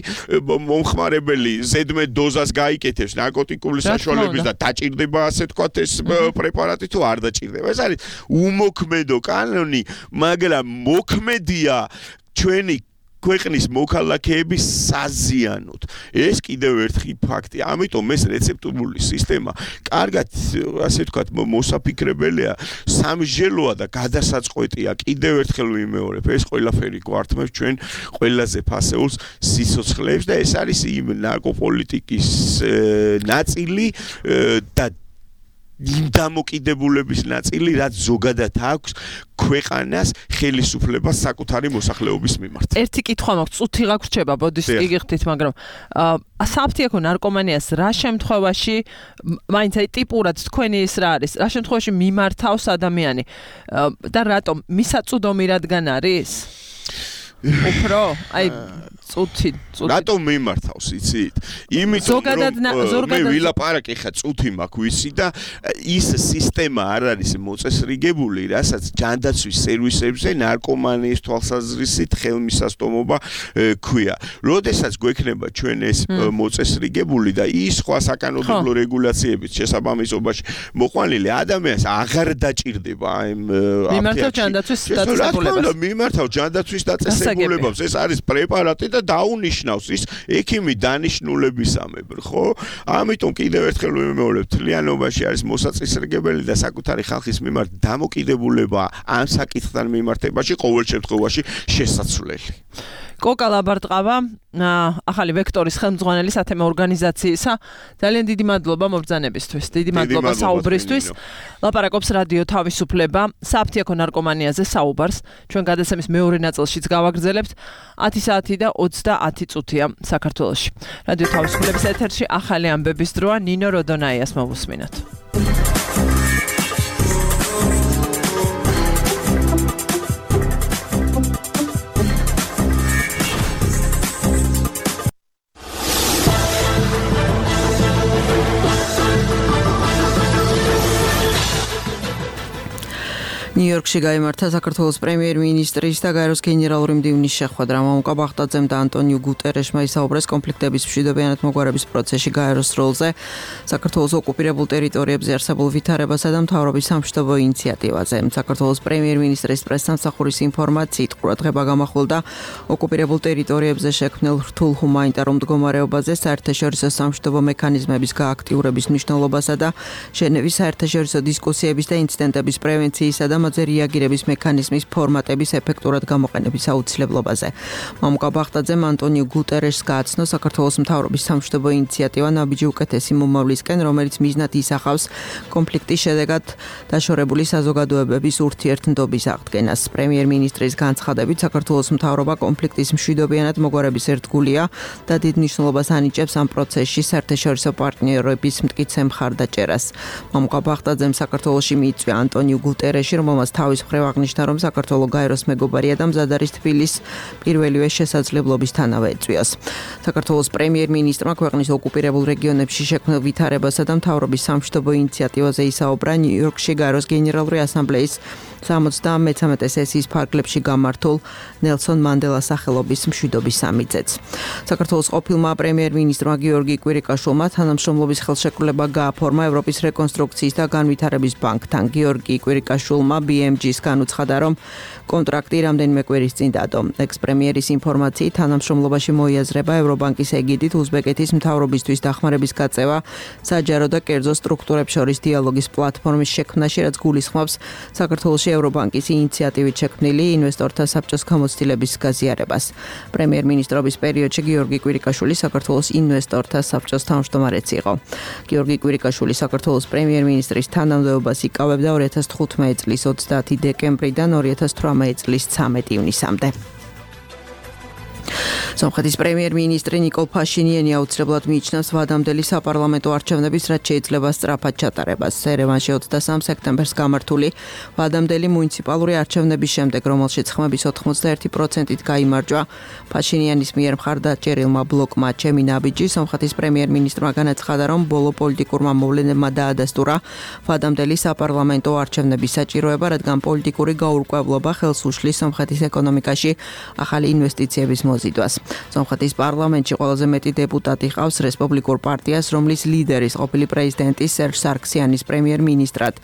მომხმარებელი ზედმეტ დოზას გაიკეთებს ნარკოტიკული საშუალების და დაჭირდება ასე ვთქვათ ეს პრეპარატი თუ არ დაჭირდება ეს არის უმოქმედო კანონი მაგრამ მოქმედია ჩვენი ქვეყნის მოქალაქეების საზიანოდ ეს კიდევ ერთი ფაქტია ამიტომ ეს რეცეპტურული სისტემა კარგად ასე ვთქვათ მოსაფიქრებელია სამსჯელოა და გადასაწყვეტია კიდევ ერთხელ ვიმეორებ ეს ყველაფერი გვართმევს ჩვენ ყველაზე ფასეულს სიცოცხლეებს და ეს არის იმ ნარკოპოლიტიკის ნაწილი და იმ დამოკიდებულების ნაწილი რაც ზოგადად აქვს ქვეყანას ხელისუფლებას საკუთარი მოსახლეობის მიმართ. ერთი კითხვა მაქვს, წუთი გაგვრჩება, ბოდიშ გიგიხდით, მაგრამ საფთიაქო ნარკომანიას რა შემთხვევაში მაინც აი ტიპურად თქვენი ის რა არის? რა შემთხვევაში მიმართავს ადამიანი და რატომ მისაწვდომი რადგან არის? უფრო აი წუთი წუთი რატომ მიმართავს იცით? იმიტომ რომ მე ვილაპარაკე ხა წუთი მაქვს ვიცი და ის სისტემა არ არის მოწესრიგებული, რასაც ჯანდაცვის სერვისებზე ნარკომანიის თვალსაზრისით ხელმისაწვდომობა ქვია. როდესაც გვექნება ჩვენ ეს მოწესრიგებული და ის სხვა საკანონმდებლო რეგულაციების შესაბამისობაში მოყვანილი ადამიანს აღარ დაჭირდება იმ მიმართავ ჯანდაცვის დაწესებულებას. მიმართავ ჯანდაცვის დაწესებულებას. ეს არის პრეპარატი და დაუნიშნავს ის ექიმი დანიშნულებისამებრ, ხო? ამიტომ კიდევ ერთხელ ვიმეორებ, თლიანობაში არის მოსაწესრიგებელი და საკუთარი ხალხის მიმართ დამოკიდებულება ამ საკითხთან მიმართებაში ყოველ შემთხვევაში შესაძლებელი. კოკა ლაბარტყავა, ახალი ვექტორის ხელმძღვანელი სათემო ორგანიზაციისა. ძალიან დიდი მადლობა მობრძანებისთვის, დიდი მადლობა საუბრისთვის. ლაპარაკობს რადიო თავისუფლება, საფთიაქო ნარკომანიაზე საუბარს. ჩვენ გადაცემის მეორე ნაწილშიც გავაგრძელებთ. ათი საათი და ოცდაათი წუთია საქართველოში. რადიო თავისუფლების ეთერში ახალი ამბების დროა. ნინო როდონაიას მოვუსმინოთ. ნიუ-იორკში გაიმართა საქართველოს პრემიერ-მინისტრის და გაეროს გენერალური მდივნის შეხვედრა. მამუკა ბახტაძემ და ანტონიუ გუტერეშმა ისაუბრეს კონფლიქტების მშვიდობიანად მოგვარების პროცესში გაეროს როლზე, საქართველოს ოკუპირებულ ტერიტორიებზე არსებულ ვითარებასა და მთავრობის სამშვიდობო ინიციატივაზე. საქართველოს პრემიერ-მინისტრის პრესსამსახურის ინფორმაციით ყურადღება გამახვილდა ოკუპირებულ ტერიტორიებზე შექმნილ რთულ ჰუმანიტარულ მდგომარეობაზე, საერთაშორისო სამშვიდობო მექანიზმების გააქტიურების მნიშვნელობასა და ჟენევის საერთაშორისო დისკუსიების და ინციდენტების პრევენციისა და მასზე რეაგირების მექანიზმის ფორმატების ეფექტურად გამოყენების აუცილებლობაზე. მამუკა ბახტაძემ ანტონიუ გუტერეშს გააცნო საქართველოს მთავრობის სამშვიდობო ინიციატივა ნაბიჯი უკეთესი მომავლისკენ, რომელიც მიზნად ისახავს კონფლიქტის შედეგად დაშორებული საზოგადოებების ურთიერთდობის აღდგენას. პრემიერ-მინისტრის განცხადებით, საქართველოს მთავრობა კონფლიქტის მშვიდობიანად მოგვარების ერთგულია და დიდ მნიშვნელობას ანიჭებს ამ პროცესში საერთაშორისო პარტნიორების მტკიცე მხარდაჭერას. მამუკა ბახტაძემ საქართველოში მიიწვია ანტონიუ გუტერეში, რომელმაც თავის მხრივ აღნიშნა, რომ საქართველოს გაეროს მეგობარია და მზად არის თბილის პირველივე შესაძლებლობისთანავე ეწვიოს. საქართველოს პრემიერ-მინისტრმა ქვეყნის ოკუპირებულ რეგიონებში შექმნილ ვითარებასა და მთავრობის სამშვიდობო ინიციატივაზე ისაუბრა ნიუ-იორკში გაეროს გენერალური ასამბლეის სამოცდამეცამეტე სესიის ფარგლებში გამართულ ნელსონ მანდელას სახელობის მშვიდობის სამიტზეც. საქართველოს ყოფილმა პრემიერ-მინისტრმა გიორგი კვირიკაშვილმა თანამშრომლობის ხელშეკრულება გააფორმა ევროპის რეკონსტრუქციის და განვითარების ბანკთან. გიორგი კვირიკაშვილმა ბი ემ ჯის განუცხადა, რომ კონტრაქტი რამდენიმე კვირის წინ დადო. ექს-პრემიერის ინფორმაციით, თანამშრომლობაში მოიაზრება ევრობანკის ეგიდით უზბეკეთის მთავრობისთვის დახმარების გაწევა საჯარო და კერძო სტრუქტურებს შორის დიალოგის პლატფორმის შექმნაში, რაც გულისხმობს საქართველოში ევრობანკის ინიციატივით შექმნილი ინვესტორთა საბჭოს გამოცდილების გაზიარებას. პრემიერ-მინისტრობის პერიოდში გიორგი კვირიკაშვილი საქართველოს ინვესტორთა საბჭოს თავმჯდომარეც იყო. გიორგი კვირიკაშვილი საქართველოს პრემიერ-მინისტრის თანამდებობას იკავებდა ორი ათას თხუთმეტი წლის ოცდაათი დეკემბრიდან ორი ათას თვრამეტი წლის ცამეტი ივნისამდე. სომხეთის პრემიერ-მინისტრი ნიკოლ ფაშინიანი აუცილებლად მიიჩნევს ვადამდელი საპარლამენტო არჩევნების, რაც შეიძლება სწრაფად ჩატარებას. ერევანში ოცდასამ სექტემბერს გამართული ვადამდელი მუნიციპალური არჩევნების შემდეგ, რომელშიც ხმების ოთხმოცდაერთი პროცენტით გაიმარჯვა ფაშინიანის მიერ მხარდაჭერილმა ბლოკმა ჩემი ნაბიჯი, სომხეთის პრემიერ-მინისტრმა განაცხადა, რომ ბოლო პოლიტიკურმა მოვლენებმა დაადასტურა ვადამდელი საპარლამენტო არჩევნების საჭიროება, რადგან პოლიტიკური გაურკვევლობა ხელს უშლის სომხეთის ეკონომიკაში ახალი ინვესტიციების მოზიდვას. სომხეთის პარლამენტში ყველაზე მეტი დეპუტატი ყავს რესპუბლიკურ პარტიას, რომლის ლიდერის ყოფილი პრეზიდენტი სერჟ სარქსიანის პრემიერ-მინისტრად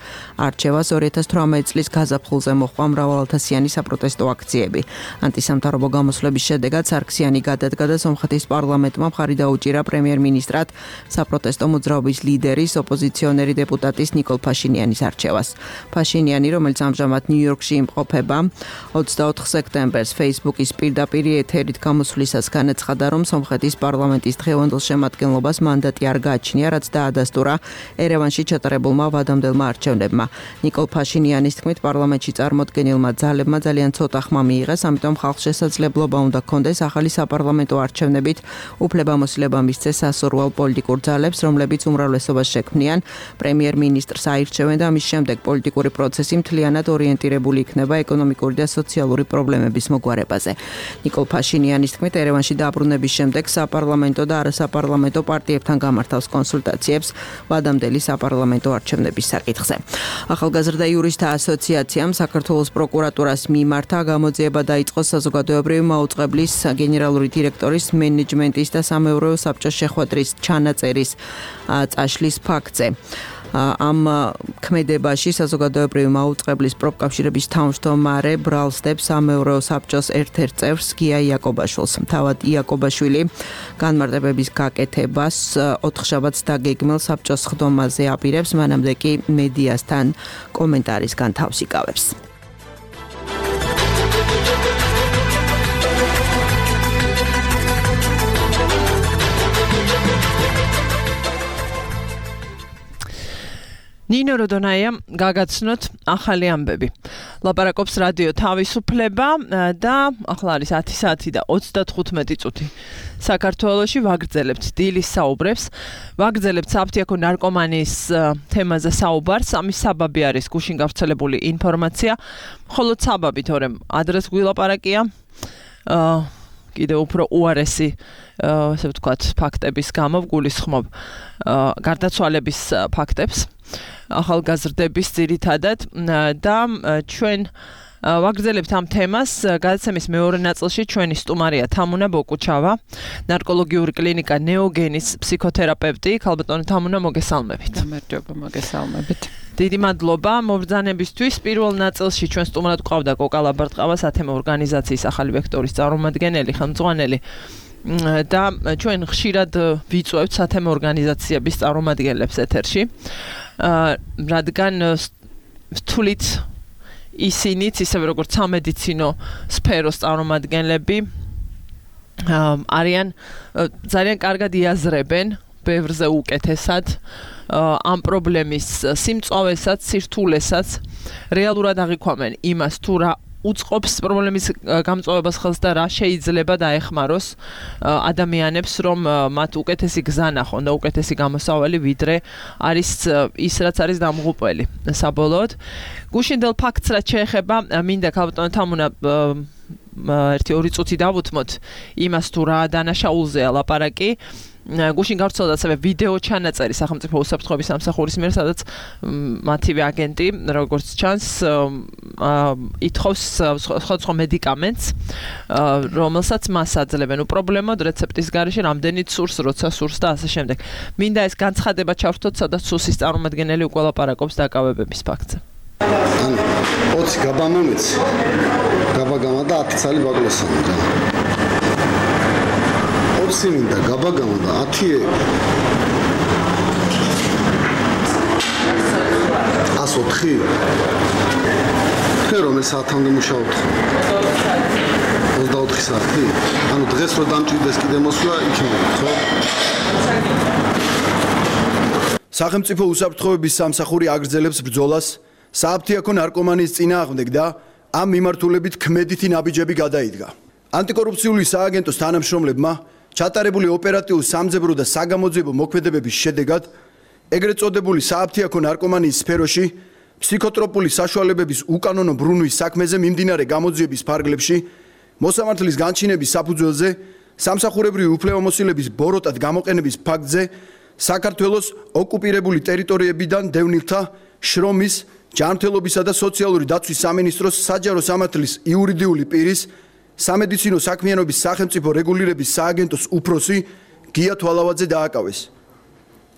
არჩევას ორი ათას თვრამეტი წლის გაზაფხულზე მოჰყვა მრავალათასიანი საპროტესტო აქციები. ანტისამთავრობო გამოსვლების შედეგად სარქსიანი გადადგა და სომხეთის პარლამენტმა მხარი დაუჭირა პრემიერ-მინისტრად საპროტესტო მოძრაობის ლიდერის, ოპოზიციონერი დეპუტატის ნიკოლ ფაშინიანის არჩევას. ფაშინიანი, რომელიც ამჟამად ნიუ-იორკში იმყოფება, ოცდაოთხ სექტემბერს Facebook-ის პირდაპირ ეთერით გამოსვლისას განაცხადა, რომ სომხეთის პარლამენტის დღევანდელ შემადგენლობას მანდატი არ გააჩნია, რაც დაადასტურა ერევანში ჩატარებულმა ვადამდებელმა არჩევნებმა. ნიკოლ ფაშინიანის თქმით, პარლამენტში წარმოდგენილმა ძალებმა ძალიან ცოტა ხმა მიიღეს, ამიტომ ხალხს შესაძლებლობა უნდა ჰქონდეს ახალი საპარლამენტო არჩევნებით უფლებამოსილება მისცეს სასურველ პოლიტიკურ ძალებს, რომლებიც უმრავლესობას შექმნიან პრემიერ-მინისტრს აირჩევენ და ამის შემდეგ პოლიტიკური პროცესი მთლიანად ორიენტირებული იქნება ეკონომიკური და სოციალური პრობლემების მოგვარებაზე. ნიკოლ ფაშინიანის თქმით, მიუხედავად ერევანში დაბრუნების შემდეგ საპარლამენტო და არასაპარლამენტო პარტიებთან გამართავს კონსულტაციებს ვადამდელი საპარლამენტო არჩევნების საკითხზე. ახალგაზრდა იურისტთა ასოციაციამ საქართველოს პროკურატურას მიმართა გამოძიება დაიწყო საზოგადოებრივი მაუწყებლის გენერალური დირექტორის მენეჯმენტის და სამეურვეო საბჭოს შეხვედრის ჩანაწერის წაშლის ფაქტზე. ამ ქმედებაში საზოგადოებრივი მაუწყებლის პროფკავშირების თავმჯდომარე ბრალსდებს სამეურვეო საბჭოს ერთ-ერთ წევრს გია იაკობაშვილს. თავად იაკობაშვილი განმარტებების გაკეთებას ოთხშაბათს დაგეგმილ საბჭოს ხდომაზე აპირებს, მანამდე კი მედიასთან კომენტარისგან თავს იკავებს. ნინო როდონაიამ გაგაცნოთ ახალი ამბები. ლაპარაკობს რადიო თავისუფლება და ახლა არის ათი საათი და ოცდათხუთმეტი წუთი. საქართველოში ვაგრძელებთ დილის საუბრებს. ვაგრძელებთ საფთიაქო ნარკომანიის თემაზე საუბარს. ამის საბაბი არის გუშინ გავრცელებული ინფორმაცია. მხოლოდ საბაბი, თორემ ადრეს გვილაპარაკია. აა კიდევ უფრო უარესი ესე ვთქვათ ფაქტების გამო გულისხმობ გარდაცვალების ფაქტებს. ახალგაზრდების ძირითადად და ჩვენ ვაგრძელებთ ამ თემას. გადაცემის მეორე ნაწილში ჩვენი სტუმარია თამუნა ბოკუჩავა, ნარკოლოგიური კლინიკა ნეოგენის ფსიქოთერაპევტი. ქალბატონო თამუნა, მოგესალმებით. გამარჯობა, მოგესალმებით. დიდი მადლობა მობრძანებისთვის. პირველ ნაწილში ჩვენ სტუმრად გვყავდა კოკა ლაბარტყავა, სათემო ორგანიზაციის ახალი ვექტორის წარმომადგენელი, ხელმძღვანელი და ჩვენ ხშირად ვიწვევთ სათემო ორგანიზაციების წარმომადგენლებს ეთერში. რადგან ვთვლით ისინიც ისევე როგორც სამედიცინო სფეროს წარმომადგენლები არიან ძალიან კარგად იაზრებენ ბევრზე უკეთესად ამ პრობლემის სიმწვავესაც, სირთულესაც რეალურად აღიქვამენ იმას თუ რა უწყობს პრობლემის გამწვავებას ხელს და რა შეიძლება დაეხმაროს ადამიანებს, რომ მათ უკეთესი გზა ნახონ და უკეთესი გამოსავალი ვიდრე არის ის, რაც არის დამღუპველი საბოლოოდ. გუშინდელ ფაქტს რაც შეეხება, მინდა ქალბატონო თამუნა ერთი ორი წუთი დავუთმოთ იმას თუ რა დანაშაულზეა ლაპარაკი. გუშინ გავრცელდა ასევე ვიდეო ჩანაწერი სახელმწიფო უსაფრთხოების სამსახურის მიერ, სადაც მათივე აგენტი, როგორც ჩანს, ითხოვს სხვადასხვა მედიკამენტს, რომელსაც მას აძლევენ უპრობლემოდ რეცეპტის გარეშე, რამდენიც სურს, როცა სურს და ასე შემდეგ. მინდა ეს განცხადება ჩავრთოთ, სადაც სუსის წარმომადგენელი უკვე ლაპარაკობს დაკავებების ფაქტზე. ანუ ოცი გაბამომეც გაბაგამა და ათი ცალი ბაგლოსანი. ოცი მინდა გაბაგამა და ათი ასო ოთხი თქვენ რომელ საათამდე მუშაობთ? ოცდაოთხი საათი? ანუ დღეს რო დამჭირდეს კიდე მოსვლა იქნება, ხო? სახელმწიფო უსაფრთხოების სამსახური აგრძელებს ბრძოლას საფთიაქო ნარკომანიის წინააღმდეგ და ამ მიმართულებით ქმედითი ნაბიჯები გადაიდგა. ანტიკორუფციული სააგენტოს თანამშრომლებმა ჩატარებული ოპერატიულ სამძებრო და საგამოძიებო მოქმედებების შედეგად ეგრეთ წოდებული საფთიაქო ნარკომანიის სფეროში ფსიქოტროპული საშუალებების უკანონო ბრუნვის საქმეზე მიმდინარე გამოძიების ფარგლებში მოსამართლის განჩინების საფუძველზე სამსახურებრივი უფლებამოსილების ბოროტად გამოყენების ფაქტზე საქართველოს ოკუპირებული ტერიტორიებიდან დევნილთა შრომის, ჯანმრთელობისა და სოციალური დაცვის სამინისტროს საჯარო სამართლის იურიდიული პირის სამედიცინო საქმიანობის სახელმწიფო რეგულირების სააგენტოს უფროსი გია თვალავაძე დააკავეს.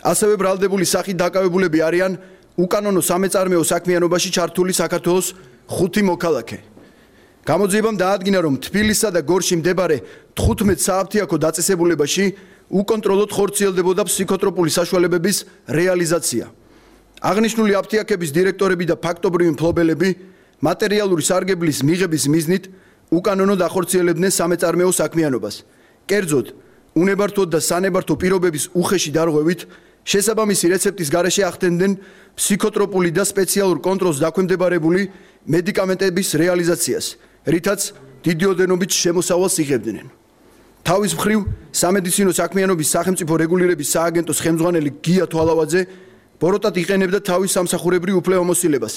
ასევე ბრალდებული სახით დაკავებულები არიან უკანონო სამეწარმეო საქმიანობაში ჩართული საქართველოს ხუთი მოქალაქე. გამოძიებამ დაადგინა, რომ თბილისსა და გორში მდებარე თხუთმეტ საფთიაქო დაწესებულებაში უკონტროლოდ ხორციელდებოდა ფსიქოტროპული საშუალებების რეალიზაცია. აღნიშნული აფთიაქების დირექტორები და ფაქტობრივი მფლობელები მატერიალური სარგებლის მიღების მიზნით უკანონოდ ახორციელებდნენ სამეწარმეო საქმიანობას. კერძოდ, უნებართვოდ და სანებართვო პირობების უხეში დარღვევით შესაბამისი რეცეპტის გარეშე ახდენდნენ ფსიქოტროპული და სპეციალურ კონტროლს დაქვემდებარებული მედიკამენტების რეალიზაციას, რითაც დიდი ოდენობით შემოსავალს იღებდნენ. თავის მხრივ, სამედიცინო საქმიანობის სახელმწიფო რეგულირების სააგენტოს ხელმძღვანელი გია თვალავაძე ბოროტად იყენებდა თავის სამსახურებრივ უფლებამოსილებას.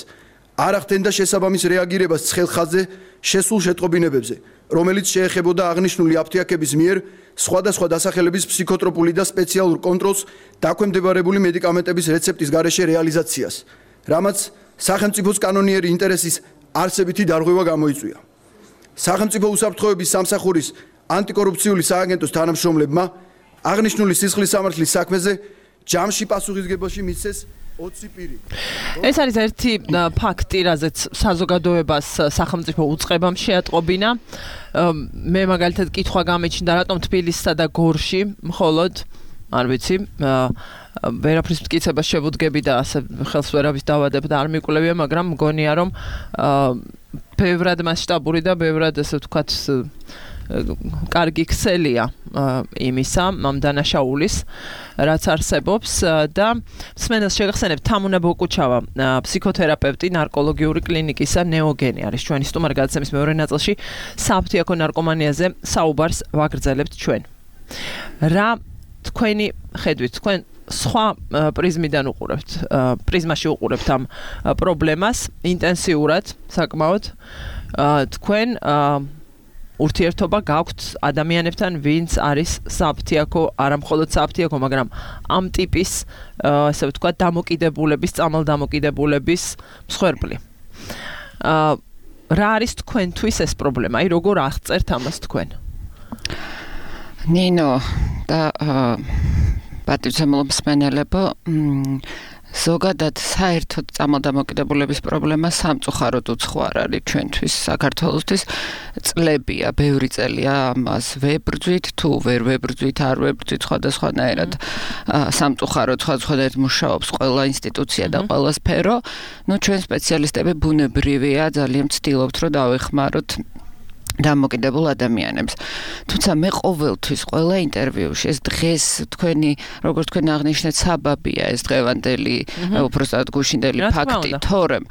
არ ახდენდა შესაბამის რეაგირებას ცხელ ხაზზე შესულ შეტყობინებებზე, რომელიც შეეხებოდა აღნიშნული აფთიაქების მიერ სხვადასხვა დასახელების ფსიქოტროპული და სპეციალურ კონტროლს დაქვემდებარებული მედიკამენტების რეცეპტის გარეშე რეალიზაციას, რამაც სახელმწიფოს კანონიერი ინტერესის არსებითი დარღვევა გამოიწვია. სახელმწიფო უსაფრთხოების სამსახურის ანტიკორუფციული სააგენტოს თანამშრომლებმა აღნიშნული სისხლის სამართლის საქმეზე ჯამში პასუხისგებაში მისცეს ოცი პირი. ეს არის ერთი ფაქტი, რაზეც საზოგადოებას სახელმწიფო უწყებამ შეატყობინა. მე მაგალითად კითხვა გამეჩნდა, რატომ თბილისსა და გორში მხოლოდ არ ვიცი, ვერაფრის მტკიცებას შევუდგები და ასე ხელს ვერავის დავადებ და არ მიკვლევია, მაგრამ მგონია რომ ბევრად მასშტაბური და ბევრად ასე ვთქვათ კარგი ქსელია იმისა, ამ დანაშაულის, რაც არსებობს და მსმენელს შეგახსენებთ თამუნა ბოკუჩავა, ფსიქოთერაპევტი ნარკოლოგიური კლინიკისა ნეოგენი არის ჩვენი სტუმარი გადაცემის მეორე ნაწილში საფთიაქო ნარკომანიაზე საუბარს ვაგრძელებთ ჩვენ. რა თქვენი ხედვით, თქვენ სხვა პრიზმიდან უყურებთ, პრიზმაში უყურებთ ამ პრობლემას ინტენსიურად, საკმაოდ თქვენ ურთიერთობა გაქვთ ადამიანებთან, ვინც არის საფთიაქო, არა მხოლოდ საფთიაქო, მაგრამ ამ ტიპის, ასე ვთქვათ, დამოკიდებულების, წამალდამოკიდებულების მსხვერპლი. რა არის თქვენთვის ეს პრობლემა? აი, როგორ აღწერთ ამას თქვენ? ნინო და პატივცემულო მსმენელებო, ზოგადად საერთოდ წამალდამოკიდებულების პრობლემა სამწუხაროდ უცხო არ არის ჩვენთვის საქართველოსთვის წლებია, ბევრი წელია ამას ვებრძვით, თუ ვერ ვებრძვით, არ ვებრძვით სხვადასხვანაირად სამწუხაროდ სხვადასხვანაირად მუშაობს ყველა ინსტიტუცია და ყველა სფერო. ნუ ჩვენ სპეციალისტები ბუნებრივია, ძალიან ვცდილობთ, რომ დავეხმაროთ დამოკიდებულ ადამიანებს. თუმცა მე ყოველთვის ყველა ინტერვიუში ეს დღეს თქვენი, როგორც თქვენ აღნიშნეთ, საბაბია ეს დღევანდელი უბრალოდ გუშინდელი ფაქტი, თორემ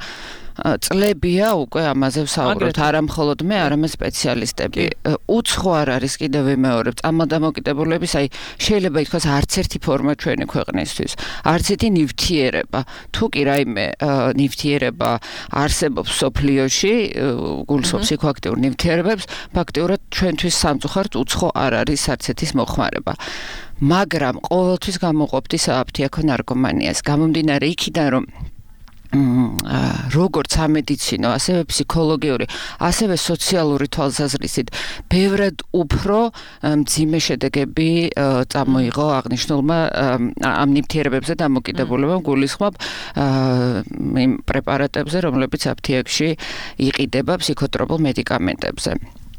წლებია უკვე ამაზე ვსაუბრობთ, არა მხოლოდ მე, არამედ სპეციალისტები. უცხო არ არის კიდევ ვიმეორებ, წამალდამოკიდებულების, აი შეიძლება ითქვას არც ერთი ფორმა ჩვენი ქვეყნისთვის, არც ერთი ნივთიერება. თუ კი რაიმე ნივთიერება არსებობს სოფლიოში, გულისხმობს ფსიქოაქტიურ ნივთიერებებს, ფაქტიურად ჩვენთვის სამწუხაროდ უცხო არ არის არც ერთის მოხმარება. მაგრამ ყოველთვის გამოყოფთ საფთიაქო ნარკომანიას, გამომდინარე იქიდან, რომ როგორც სამედიცინო, ასევე ფსიქოლოგიური, ასევე სოციალური თვალსაზრისით ბევრად უფრო მძიმე შედეგები წამოიღო აღნიშნულმა ამ ნივთიერებებზე დამოკიდებულებამ, გულისხმობ იმ პრეპარატებზე, რომლებიც აფთიაქში იყიდება ფსიქოტროპულ მედიკამენტებზე.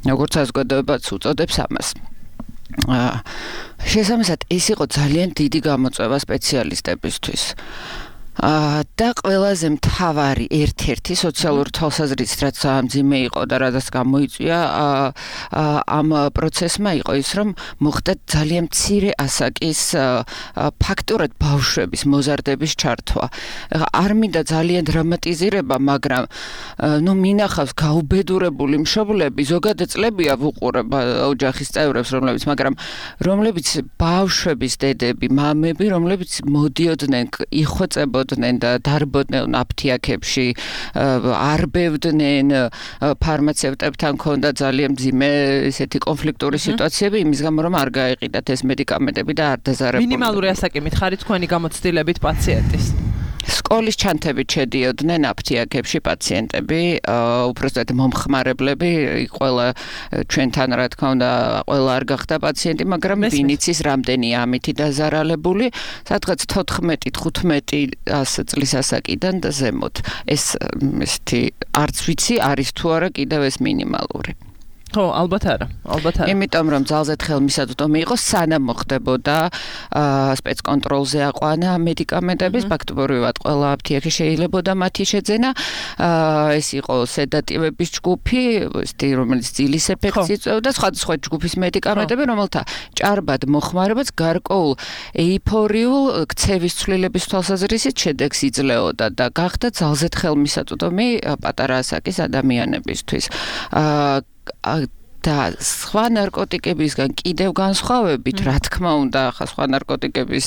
როგორც საზოგადოებაც უწოდებს ამას. შესაბამისად, ეს იყო ძალიან დიდი გამოწვევა სპეციალისტებისთვის. და ყველაზე მთავარი ერთ-ერთი სოციალური თვალსაზრისით, რაც მძიმე იყო და რადგან გამოიწვია ამ პროცესმა იყო ის, რომ მოხდა ძალიან მცირე ასაკის ფაქტურად ბავშვების მოზარდების ჩართვა. არ მინდა ძალიან დრამატიზირება, მაგრამ ნუ მინახავს გაუბედურებული მშობლები, ზოგადად წლებია ვუყურებ ოჯახის წევრებს, რომლებიც, მაგრამ რომლებიც ბავშვების დედები, მამები, რომლებიც მოდიოდნენ, იხვეწებოდნენ და დარბოდნენ აფთიაქებში, არბევდნენ, ფარმაცევტებთან ქონდა ძალიან მძიმე ესეთი კონფლიქტური სიტუაციები, იმის გამო რომ არ გაეყიდათ ეს მედიკამენტები და არ დაზარებულდნენ. მინიმალური ასაკი ხარით თქვენი გამოცდილებით პაციენტის. სკოლის ჩანთებით შედიოდნენ აფთიაქებში პაციენტები, უბრალოდ მომხმარებლები, ყველა ჩვენთან რა თქმა უნდა, ყველა არ გახდა პაციენტი, მაგრამ ვინიც ის რამდენია ამითი დაზარალებული, სადღაც თოთხმეტი თხუთმეტი წლის ასაკიდან და ზემოთ. ეს ესეთი არც ვიცი, არის თუ არა კიდევ ეს მინიმალური. ხო, ალბათ არა, ალბათ არა. იმიტომ რომ ძალზედ ხელმისაწვდომი იყო, სანამ მოხდებოდა სპეცკონტროლზე აყვანა მედიკამენტების, ფაქტობრივად ყველა აფთიაქი შეიძლებოდა მათი შეძენა. ეს იყო სედატივების ჯგუფი, ესეთი რომელიც ძილის ეფექტს იწვევდა, სხვადასხვა ჯგუფის მედიკამენტები, რომელთა ჭარბად მოხმარებაც გარკვეულ ეიფორიულ ქცევის ცვლილების თვალსაზრისით შედეგს იძლეოდა და გახდა ძალზედ ხელმისაწვდომი პატარა ასაკის ადამიანებისთვის. და სხვა ნარკოტიკებისგან კიდევ განსხვავებით, რა თქმა უნდა, ხა სხვა ნარკოტიკების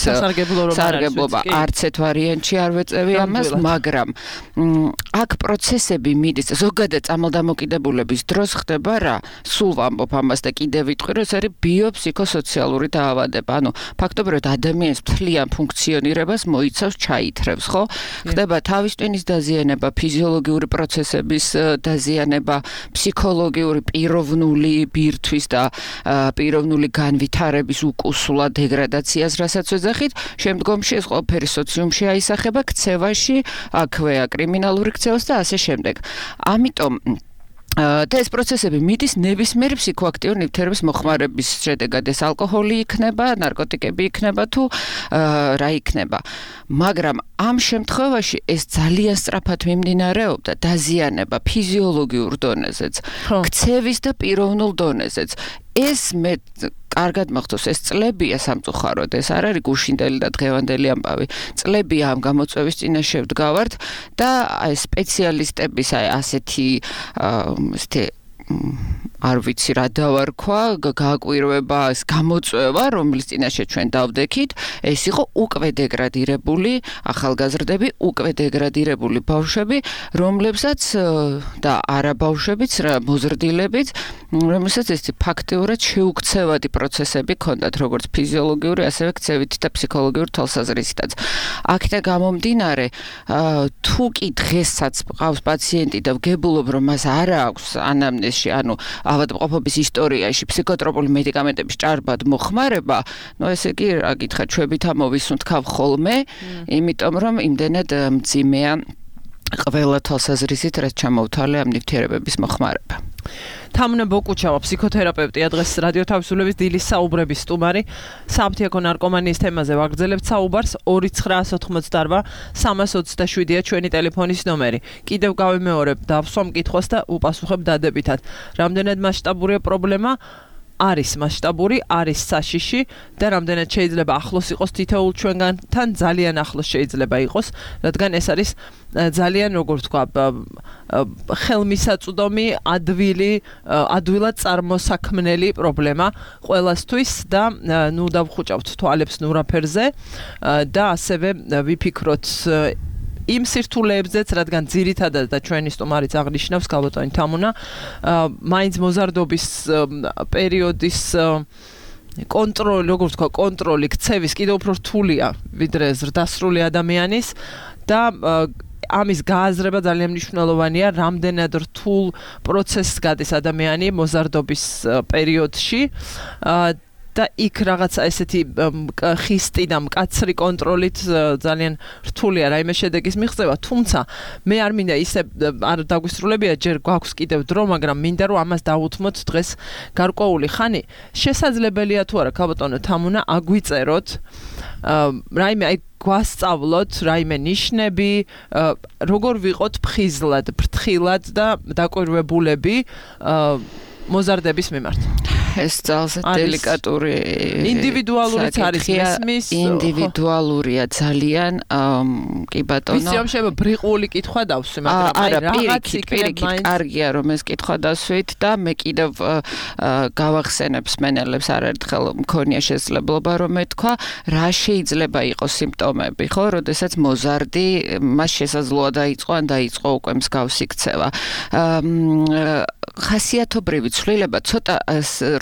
სარგებლობა არც ერთ ვარიანტში არ ვეწევი ამას, მაგრამ აქ პროცესები მიდის, ზოგადად წამალდამოკიდებულების დროს ხდება რა? სულ ვამბობ ამას და კიდევ ვიტყვი, რომ ეს არის ბიოფსიქოსოციალური დაავადება. ანუ ფაქტობრივად ადამიანის მთლიან ფუნქციონირებას მოიცავს, ჩაითრევს, ხო? ხდება თავის ტვინის დაზიანება, ფიზიოლოგიური პროცესების დაზიანება, ფსიქოლოგიური პიროვნული ბირთვის და პიროვნული განვითარების უკუსლა დეგრადაციას, რასაც ვეძახით, შემდგომში ეს ყველაფერი სოციუმში აისახება, ქცევაში, აქვეა კრიმინალური ქცევას და ასე შემდეგ. ამიტომ და ეს პროცესები მიდის ნებისმიერი ფსიქოაქტიური ნივთიერების მოხმარების შედეგად. ეს ალკოჰოლი იქნება, ნარკოტიკები იქნება თუ რა იქნება. მაგრამ ამ შემთხვევაში ეს ძალიან სწრაფად მიმდინარეობდა დაზიანება ფიზიოლოგიურ დონეზეც, ქცევის და პიროვნულ დონეზეც. ეს მე კარგად მახსოვს, ეს წლებია სამწუხაროდ, ეს არ არის გუშინდელი და დღევანდელი ამბავი. წლებია ამ გამოწვევის წინაშე ვდგავართ და აი სპეციალისტების აი ასეთი ესეთი არ ვიცი რა დავარქვა, გააკვირვება ეს გამოწვევა, რომლის წინაშე ჩვენ დავდექით, ეს იყო უკვე დეგრადირებული ახალგაზრდები, უკვე დეგრადირებული ბავშვები, რომლებსაც და არა ბავშვებიც, მოზრდილებიც, რომელსაც ეს ფაქტიურად შეუქცევადი პროცესები ჰქონდათ, როგორც ფიზიოლოგიური, ასევე ქცევითი და ფსიქოლოგიური თვალსაზრისითაც. აქედან გამომდინარე, თუ კი დღესაც ყავს პაციენტი და ვგებულობ, რომ მას არ აქვს ანამნეზში, ანუ ავადმყოფობის ისტორიაში ფსიქოტროპული მედიკამენტების ჭარბად მოხმარება, ნუ ესე იგი რა გითხრათ, ჩვენით ამოვისუნთქავ ხოლმე, იმიტომ რომ იმდენად მძიმეა ყველა თვალსაზრისით, რაც ჩამოვთვალე ამ ნივთიერებების მოხმარება. თამუნა ბოკუჩავა, ფსიქოთერაპევტია, დღეს რადიო თავისუფლების დილის საუბრების სტუმარი. საფთიაქო ნარკომანიის თემაზე ვაგრძელებთ საუბარს. ორი ცხრაას ოთხმოცდაარბა სამას ოცდაშვიდია ჩვენი ტელეფონის ნომერი. კიდევ გავიმეორებ, დავსვამ კითხვას და უპასუხებ დადებითად. რამდენად მასშტაბურია პრობლემა? არის მასშტაბური, არის საშიში და რამდენად შეიძლება ახლოს იყოს თითოეულ ჩვენგანთან, ძალიან ახლოს შეიძლება იყოს, რადგან ეს არის ძალიან, როგორ ვთქვა, ხელმისაწვდომი, ადვილი, ადვილად წარმოსაქმნელი პრობლემა ყველასთვის და ნუ დავხუჭავთ თვალებს ნურაფერზე და ასევე ვიფიქროთ იმ სირთულეებზეც, რადგან ძირითადად და ჩვენი სტუმარიც აღნიშნავს გალბატონი თამუნა, მაინც მოზარდობის პერიოდის კონტროლი, როგორ ვთქვა, კონტროლი ქცევის კიდევ უფრო რთულია, ვიდრე ზრდასრული ადამიანის და ამის გააზრება ძალიან მნიშვნელოვანია, რამდენად რთულ პროცესს გადის ადამიანი მოზარდობის პერიოდში. და იქ რაღაცა ესეთი ხისტი და მკაცრი კონტროლით ძალიან რთულია რაიმე შედეგის მიღწევა, თუმცა მე არ მინდა ისე არ დაგვისრულებია, ჯერ გვაქვს კიდევ დრო, მაგრამ მინდა რომ ამას დავუთმოთ დღეს გარკვეული ხანი. შესაძლებელია თუ არა, გალბატონო თამუნა, აგვიწეროთ რაიმე აი გვასწავლოთ რაიმე ნიშნები, როგორ ვიყოთ ფხიზლად, ფრთხილად და დაკვირვებულები მოზარდების მიმართ. ეს ძალზე დელიკატური ინდივიდუალურიც არის მესმის ინდივიდუალურია ძალიან კი ბატონო ვიცი რომ შეიძლება ბრიყული კითხვა დავსვი მაგრამ აი რაღაც იქნება კარგია რომ ეს კითხვა დავსვით და მე კიდევ გავახსენებ სმენელებს არაერთხელ მქონია შესაძლებლობა რომ მეთქვა რა შეიძლება იყოს სიმპტომები ხო როდესაც მოზარდი მას შესაძლოა დაიწყო ან დაიწყო უკვე მსგავსი ქცევა ხასიათობრივი ცვლილება ცოტა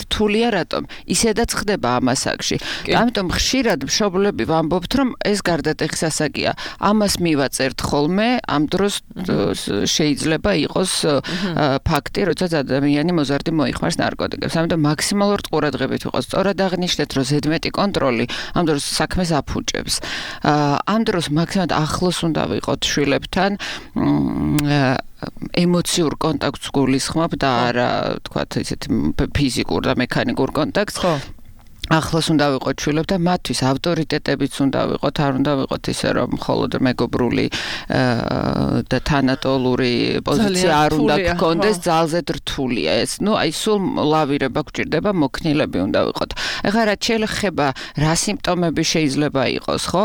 რთულია რატომ ისედაც ხდება ამ ასაკში ამიტომ ხშირად მშობლები ვამბობთ რომ ეს გარდატეხის ასაკია ამას მივაწერთ ხოლმე ამ დროს შეიძლება იყოს ფაქტი როდესაც ადამიანი მოზარდი მოიხმარს ნარკოტიკებს ამიტომ მაქსიმალურად ყურადღებით ვიყოს სწორად აღნიშნეთ რომ ზედმეტი კონტროლი ამ დროს საქმეს აფუჭებს ამ დროს მაქსიმალურად ახლოს უნდა ვიყოთ შვილებთან ემოციურ კონტაქტს გულისხმობ და არა თქვათ ისეთ ფიზიკურ და მექანიკურ კონტაქტს. ხო. ახლოს უნდა ვიყოთ შვილებს და მათთვის ავტორიტეტებიც უნდა ვიყოთ, არ უნდა ვიყოთ ისე რომ მხოლოდ მეგობრული და თანატოლური პოზიცია არ უნდა გქონდეს, ძალზედ რთულია ეს. ნუ აი სულ ლავირება გვჭირდება, მოქნილები უნდა ვიყოთ. ეხლა რაც შეიძლება რა სიმპტომები შეიძლება იყოს, ხო?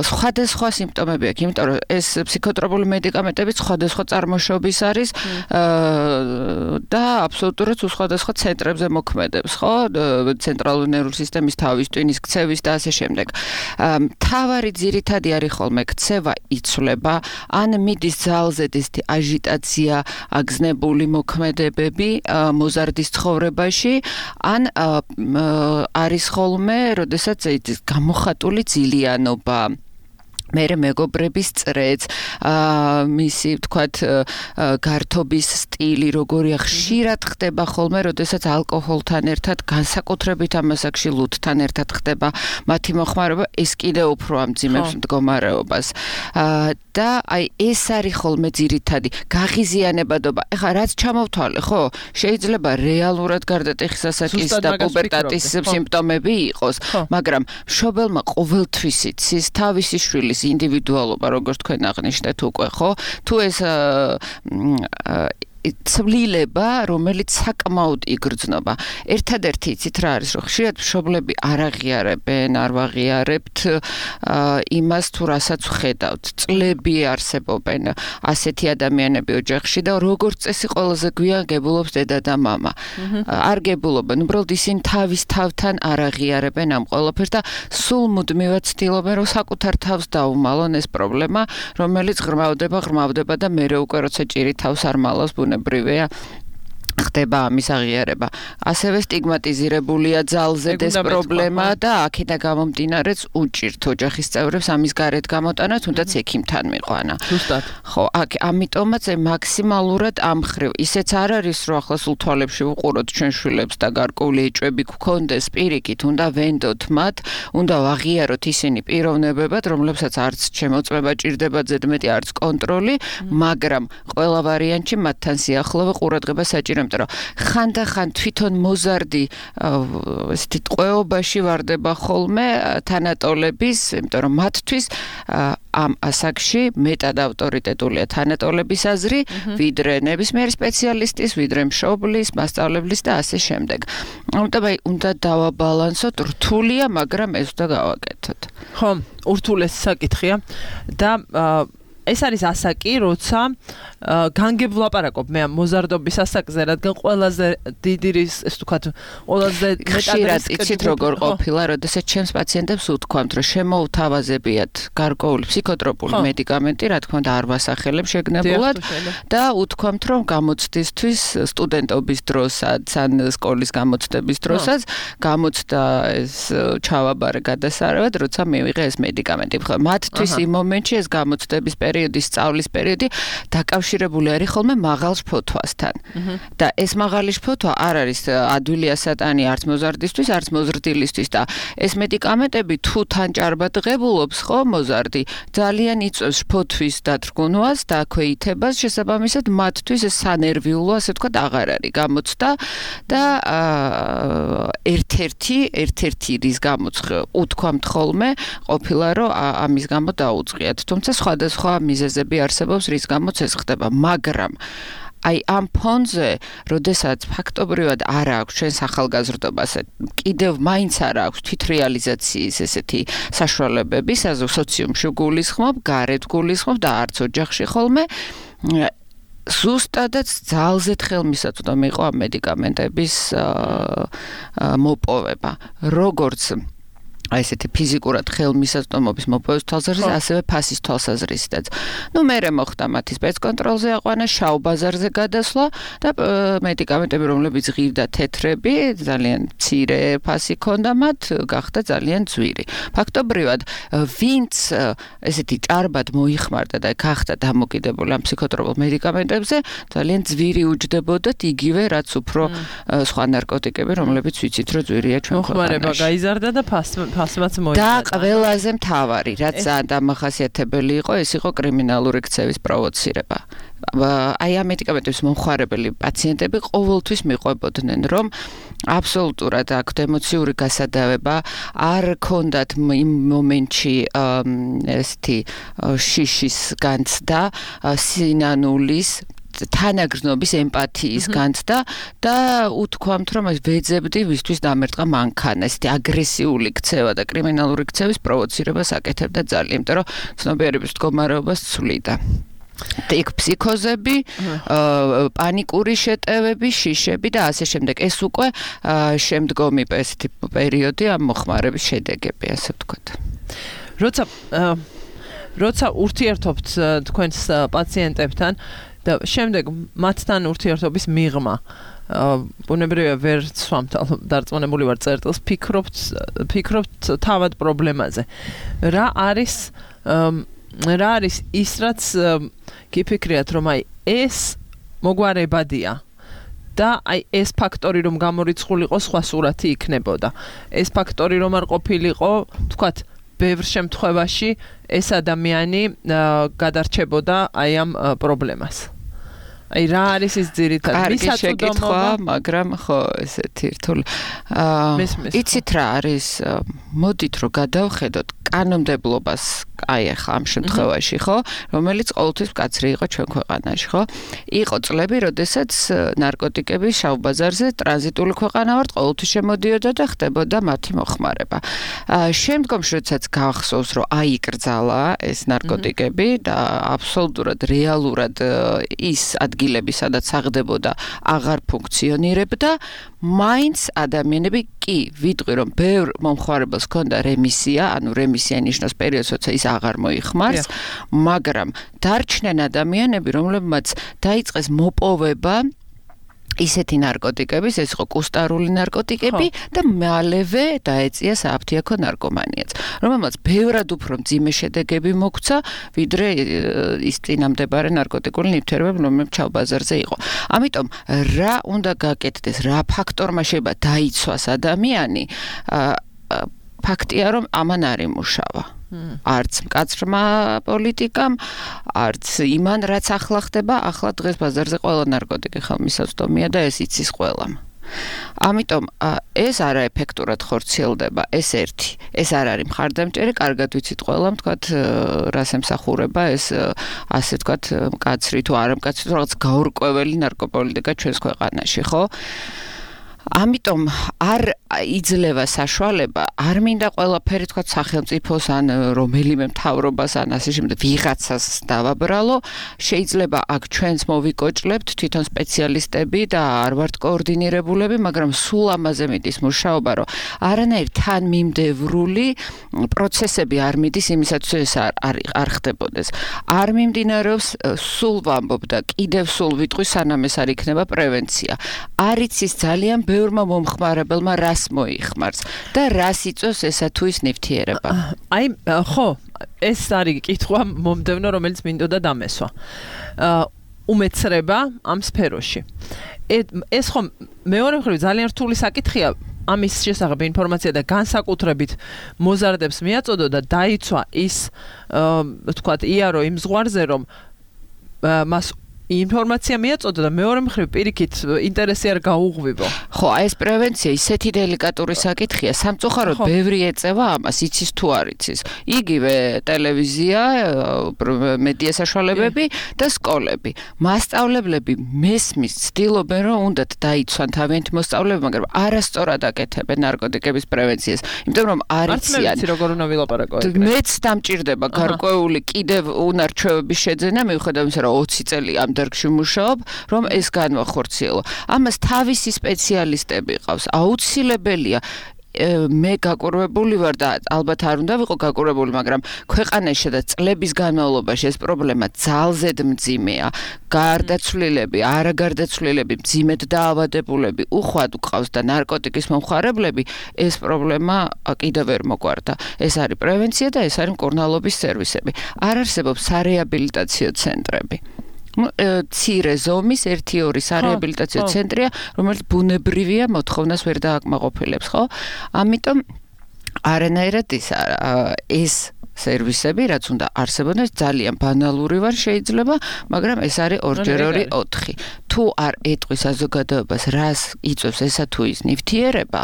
სხვადასხვა სიმპტომები აქვს, იმიტომ რომ ეს ფსიქოტროპული მედიკამენტები სხვადასხვა წარმოშობის არის და აბსოლუტურად სხვადასხვა ცენტრებზე მოქმედებს, ხო? ცენტრალური ნერვული სისტემის თავის ტვინის ქცევის და ასე შემდეგ. მთავარი ძირითადი არის ხოლმე ქცევა იცვლება, ან მიდის ძალზედ ესეთი აჟიტაცია, აგზნებული მოქმედებები მოზარდის ცხოვრებაში, ან არის ხოლმე, როდესაც გამოხატული ძილიანობა. მერე მეგობრების წრეც, მისი თქვათ გართობის სტილი როგორია ხშირად ხდება ხოლმე, როდესაც ალკოჰოლთან ერთად, განსაკუთრებით ამასაკში ლუდთან ერთად ხდება მათი მოხმარება, ეს კიდევ უფრო ამძიმებს მდგომარეობას. და აი ეს არის ხოლმე ძირითადი გაღიზიანებადობა. ეხლა რაც ჩამოვთვალე, ხო, შეიძლება რეალურად გარდა ტეხისასაკის და პუბერტატის სიმპტომები იყოს, მაგრამ მშობელმა ყოველთვის იცის თავისი შვილის ინდივიდუალობა, როგორც თქვენ აღნიშნეთ უკვე, ხო? თუ ეს ცვლილება, რომელიც საკმაოდ იგრძნობა. ერთადერთი იცით რა არის, რომ ხშირად მშობლები არ აღიარებენ, არ ვაღიარებთ იმას თუ რასაც ვხედავთ. წლები არსებობენ ასეთი ადამიანები ოჯახში და როგორც წესი ყველაზე გვიან გებულობს დედა და მამა. არ გებულობენ, უბრალოდ ისინი თავის თავთან არ აღიარებენ ამ ყველაფერს და სულ მუდმივად ცდილობენ, რომ საკუთარ თავს დაუმალონ ეს პრობლემა, რომელიც ღრმავდება, ღრმავდება და მერე უკვე როცა ჭირი თავს არ მალავს ბუნებრივია ხდება ამის აღიარება. ასევე სტიგმატიზირებულია ძალზედ ეს პრობლემა და აქედან გამომდინარეც უჭირთ ოჯახის წევრებს ამის გარეთ გამოტანა, თუნდაც ექიმთან მიყვანა. ზუსტად. ხო, აქ ამიტომაც მაქსიმალურად ამ ხრივ ისეც არ არის, რომ ახლა სულ თვალებში ვუყუროთ ჩვენ შვილებს და გარკვეული ეჭვები გქონდეს პირიქით, უნდა ვენდოთ მათ, უნდა ვაღიაროთ ისინი პიროვნებებად, რომლებსაც არც შემოწმება ჭირდება ზედმეტი, არც კონტროლი, მაგრამ ყველა ვარიანტში მათთან სიახლოვე ყურადღება საჭირო, იმიტომ რომ ხანდახან თვითონ მოზარდი ესეთი ტყვეობაში ვარდება ხოლმე თანატოლების, იმიტომ რომ მათთვის ამ ასაკში მეტად ავტორიტეტულია თანატოლების აზრი, ვიდრე ნებისმიერი სპეციალისტის, ვიდრე მშობლის, მასწავლებლის და ასე შემდეგ. ამიტომ აი უნდა დავაბალანსოთ, რთულია, მაგრამ ეს უნდა გავაკეთოთ. ხო, ურთულესი საკითხია და ეს არის ასაკი, როცა განგებ ვლაპარაკობ მე ამ მოზარდობის ასაკზე, რადგან ყველაზე დიდი რისკი, ეს ვთქვათ, ყველაზე მეტად იცით როგორ ყოფილა, როდესაც ჩემს პაციენტებს უთქვამთ, რომ შემოუთავაზებიათ გარკვეული ფსიქოტროპული მედიკამენტი, რა თქმა უნდა არ ვასახელებ შეგნებულად და უთქვამთ, რომ გამოცდისთვის სტუდენტობის დროსაც, ან სკოლის გამოცდების დროსაც გამოცდა ეს ჩავაბარე გადასარევად, როცა მივიღე ეს მედიკამენტი. ხო, მათთვის იმ მომენტში ეს გამოცდების პერიოდი, სწავლის პერიოდი დაკავშირებული არის ხოლმე მაღალ შფოთვასთან. და ეს მაღალი შფოთვა არ არის ადვილი ასატანი არც მოზარდისთვის, არც მოზრდილისთვის და ეს მედიკამენტები თუ თან ჭარბად ღებულობს, ხო, მოზარდი ძალიან იწვევს შფოთვის დათრგუნვას და აქვეითებას, შესაბამისად მათთვის ეს სანერვიულო, ასე ვთქვათ, აღარ არის გამოცდა და ერთ-ერთი, ერთ-ერთი რის გამოც უთქვამთ ხოლმე ყოფილა, რომ ამის გამო დაუწყიათ. თუმცა სხვადასხვა მიზეზები არსებობს, რის გამოც ეს ხდება, მაგრამ აი ამ ფონზე, როდესაც ფაქტობრივად არ აქვს ჩვენს ახალგაზრდობას, კიდევ მაინც არ აქვს თვითრეალიზაციის ესეთი საშუალებები, სოციუმში გულისხმობ, გარეთ გულისხმობ და არც ოჯახში ხოლმე ზუსტადაც ძალზედ ხელმისაწვდომი იყო ამ მედიკამენტების მოპოვება. როგორც აი ესეთი ფიზიკურად ხელმისაწვდომობის მოპოვების თვალსაზრისით, ასევე ფასის თვალსაზრისითაც. ნუ მერე მოხდა მათი სპეცკონტროლზე აყვანა, შავ ბაზარზე გადასვლა და მედიკამენტები, რომლებიც ღირდა თეთრები, ძალიან მცირე ფასი ჰქონდა მათ, გახდა ძალიან ძვირი. ფაქტობრივად, ვინც ესეთი ჭარბად მოიხმარდა და გახდა დამოკიდებული ამ ფსიქოტროპულ მედიკამენტებზე, ძალიან ძვირი უჯდებოდათ იგივე, რაც უფრო სხვა ნარკოტიკები, რომლებიც ვიცით, რომ ძვირია ჩვენ ქვეყანაში. მოხმარება გაიზარდა და ფასი ასმაც და მოიწოდა. ყველაზე მთავარი, რაც ძალიან დამახასიათებელი იყო, ეს იყო კრიმინალური ქცევის პროვოცირება. აი ამ მედიკამენტების მომხმარებელი პაციენტები ყოველთვის მიყვებოდნენ, რომ აბსოლუტურად აქვთ ემოციური გასადავება, არ ქონდათ იმ მომენტში ესეთი შიშის განცდა, სინანულის თანაგრძნობის ემპათიის განცდა და უთქვამთ, რომ ეს ვეძებდი ვისთვის დამერტყა მანქანა, ესეთი აგრესიული ქცევა და კრიმინალური ქცევის პროვოცირებას აკეთებდა ძალიან, იმიტომ რომ ცნობიერების მდგომარეობას ცვლიდა. იქ ფსიქოზები, პანიკური შეტევები, შიშები და ასე შემდეგ. ეს უკვე შემდგომი ესეთი პერიოდი ამ მოხმარების შედეგები, ასე ვთქვათ. როცა როცა ურთიერთობთ თქვენს პაციენტებთან და შემდეგ მათთან ურთიერთობის მიღმა ბუნებრივია ვერ ცვამთ, დარწმუნებული ვარ წერტილს, ფიქრობთ ფიქრობთ თავად პრობლემაზე. რა არის რა არის ის რაც გიფიქრიათ რომ აი ეს მოგვარებადია და აი ეს ფაქტორი რომ გამორიცხულიყო სხვა სურათი იქნებოდა. ეს ფაქტორი რომ არ ყოფილიყო, თქვათ, ბევრ შემთხვევაში ეს ადამიანი გადარჩებოდა აი ამ პრობლემას. აი რა არის ის ძირითადად მისაწვდომობა, მაგრამ ხო ესეთი რთული. იცით რა არის? მოდით რომ გადავხედოთ კანონმდებლობას, აი ახლა ამ შემთხვევაში, ხო, რომელიც ყოველთვის მკაცრი იყო ჩვენ ქვეყანაში, ხო? იყო წლები, როდესაც ნარკოტიკები შავ ბაზარზე ტრანზიტული ქვეყანა ვართ, ყოველთვის შემოდიოდა და ხდებოდა მათი მოხმარება. შემდგომში როდესაც გახსოვს, რომ აიკრძალა ეს ნარკოტიკები და აბსოლუტურად რეალურად ის ადგილები, სადაც აღდებოდა, აღარ ფუნქციონირებდა, მაინც ადამიანები კი ვიტყვი რომ ბევრ მომხმარებელს ჰქონდა რემისია, ანუ რემისია ნიშნავს პერიოდს, როცა ის აღარ მოიხმარს, მაგრამ დარჩნენ ადამიანები, რომლებმაც დაიწყეს მოპოვება ისეთი ნარკოტიკების, ეს იყო კუსტარული ნარკოტიკები და მალევე დაეწია სააფთიაქო ნარკომანიაც, რომელმაც ბევრად უფრო მძიმე შედეგები მოგვცა, ვიდრე ის წინამდებარე ნარკოტიკული ნივთიერებები, რომლებიც ჩავ ბაზარზე იყო. ამიტომ რა უნდა გაკეთდეს, რა ფაქტორმა შეიძლება დაიცვას ადამიანი, ფაქტია რომ ამან არ იმუშავა. არც მკაცრმა პოლიტიკამ, არც იმან რაც ახლა ხდება, ახლა დღეს ბაზარზე ყველა ნარკოტიკი ხელმისაწვდომია და ეს იცის ყველამ. ამიტომ ეს არაეფექტურად ხორციელდება, ეს ერთი. ეს არ არის მხარდამჭერი, კარგად ვიცით ყველამ, თქვათ, რას ემსახურება ეს ასე თქვათ, მკაცრი თუ არა მკაცრი, თუ რაღაც გაურკვეველი ნარკოპოლიტიკა ჩვენს ქვეყანაში, ხო? ამიტომ არ იძლევა საშუალება, არ მინდა ყველაფერი თქვა სახელმწიფოს ან რომელიმე მთავრობას ან ასე შემდეგ ვიღაცას დავაბრალო, შეიძლება აქ ჩვენს მოვიკოჭლებთ თვითონ სპეციალისტები და არ ვართ კოორდინირებულები, მაგრამ სულ ამაზე მიდის მუშაობა, რომ არანაირ თანმიმდევრული პროცესები არ მიდის იმისათვის ეს არ არ ხდებოდეს. არ მიმდინარეობს, სულ ვამბობ და კიდევ სულ ვიტყვი, სანამ ეს არ იქნება პრევენცია. არ იცის ძალიან ბევრმა მომხმარებელმა რას მოიხმარს და რას იწვევს ესა თუ ის ნივთიერება. აი, ხო, ეს არის კითხვა მომდევნო, რომელიც მინდოდა დამესვა. უმეცრება ამ სფეროში. ეს ხო მეორე მხრივ ძალიან რთული საკითხია, ამის შესახებ ინფორმაცია და განსაკუთრებით მოზარდებს მიაწოდო და დაიცვა ის, ვთქვათ, იარო იმ ზღვარზე, რომ მას ინფორმაცია მიაწოდო და მეორე მხრივ პირიქით ინტერესი არ გაუღვივო. ხო, აი ეს პრევენცია ისეთი დელიკატური საკითხია, სამწუხაროდ ბევრი ეწევა ამას, იცის თუ არ იცის. იგივე ტელევიზია, მედია საშუალებები და სკოლები. მასწავლებლები მესმის ცდილობენ, რომ უნდათ დაიცვან თავიანთი მოსწავლეები, მაგრამ არასწორად აკეთებენ ნარკოტიკების პრევენციას, იმიტომ რომ არ იციან. არც როგორ უნდა ვილაპარაკო ეგრე. მეც დამჭირდება გარკვეული კიდევ უნარჩვევების შეძენა, მიუხედავად იმისა, რომ ოცი წელი ამ დარგში მუშაობ, რომ ეს განვახორციელო. ამას თავისი სპეციალისტები ყავს. აუცილებელია მე გაკურვებული ვარ და ალბათ არ უნდა ვიყო გაკურვებული, მაგრამ ქვეყანაში და წლების განმავლობაში ეს პრობლემა ძალზედ მძიმეა. გარდაცვლილები, არაგარდაცვლილები, მძიმედ დაავადებულები უხვად უყავს და ნარკოტიკის მომხმარებლები, ეს პრობლემა კიდევ ვერ მოგვარდა. ეს არის პრევენცია და ეს არის მკურნალობის სერვისები. არ არსებობს სარეაბილიტაციო ცენტრები. ცირე ზომის ერთი ორი სარეაბილიტაციო ცენტრია, რომელიც ბუნებრივია მოთხოვნას ვერ დააკმაყოფილებს, ხო? ამიტომ არანაირად ის ეს სერვისები, რაც უნდა არსებობდეს, ძალიან ბანალური ვარ შეიძლება, მაგრამ ეს არის ორჯერ ორი ოთხი. თუ არ ეტყვის საზოგადოებას, რას იწვევს ესა თუ ის ნივთიერება,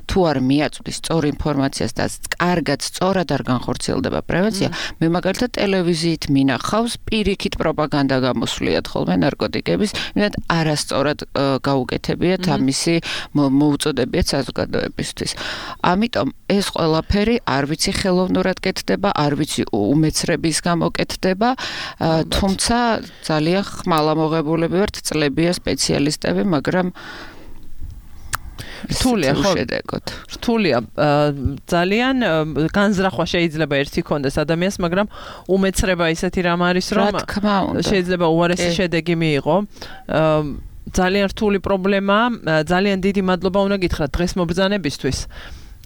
თუ არ მიაწვდის სწორ ინფორმაციას და კარგად, სწორად არ განხორციელდება პრევენცია, მე მაგალითად ტელევიზიით მინახავს პირიქით პროპაგანდა გამოსვლიათ ხოლმე ნარკოტიკების, იმედად არასწორად გაუკეთებიათ ამისი მოუწოდებიათ საზოგადოებისთვის. ამიტომ ეს ყველაფერი არ ვიცი ხელოვნურად კეთდება, არ ვიცი უმეცრების გამო კეთდება, თუმცა ძალიან ხმალამოღებულები ვართ, წლებია სპეციალისტები, მაგრამ რთულია ხო? რთულია. ძალიან განზრახვა შეიძლება ერთი კონდეს ადამიანს, მაგრამ უმეცრება ისეთი რამ არის, რომ შეიძლება უარესი შედეგი მიიღო. ძალიან რთული პრობლემაა, ძალიან დიდი მადლობა უნდა გითხრათ დღეს მობრძანებისთვის.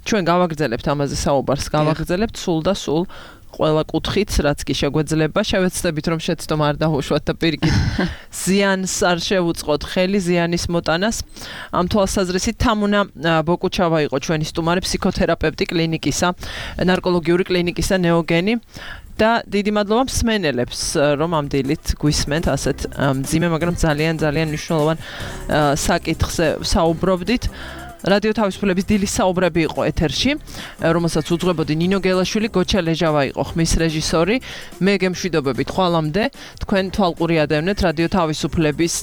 ჩვენ გავაგრძელებთ ამაზე საუბარს, გავაგრძელებთ სულ და სულ ყველა კუთხით, რაც კი შეგვეძლება, შევეცდებით რომ შეცდომა არ დაუშვათ და პირიქით ზიანს არ შევუწყოთ ხელი ზიანის მოტანას. ამ თვალსაზრისით თამუნა ბოკუჩავა იყო ჩვენი სტუმარი, ფსიქოთერაპევტი კლინიკისა, ნარკოლოგიური კლინიკისა ნეოგენი. და დიდი მადლობა მსმენელებს, რომ ამ დილით გვისმენთ ასეთ მძიმე, მაგრამ ძალიან ძალიან მნიშვნელოვან საკითხზე საუბრობდით. რადიო თავისუფლების დილის საუბრები იყო ეთერში, რომელსაც უძღვებოდი ნინო გელაშვილი, გოჩა ლეჟავა იყო ხმის რეჟისორი. მე გემშვიდობებით ხვალამდე, თქვენ თვალყური ადევნეთ რადიო თავისუფლების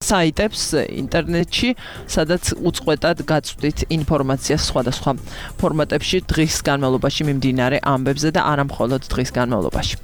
საიტებს ინტერნეტში, სადაც უწყვეტად გაწვდით ინფორმაციას სხვადასხვა ფორმატებში დღის განმავლობაში მიმდინარე ამბებზე და არა მხოლოდ დღის განმავლობაში.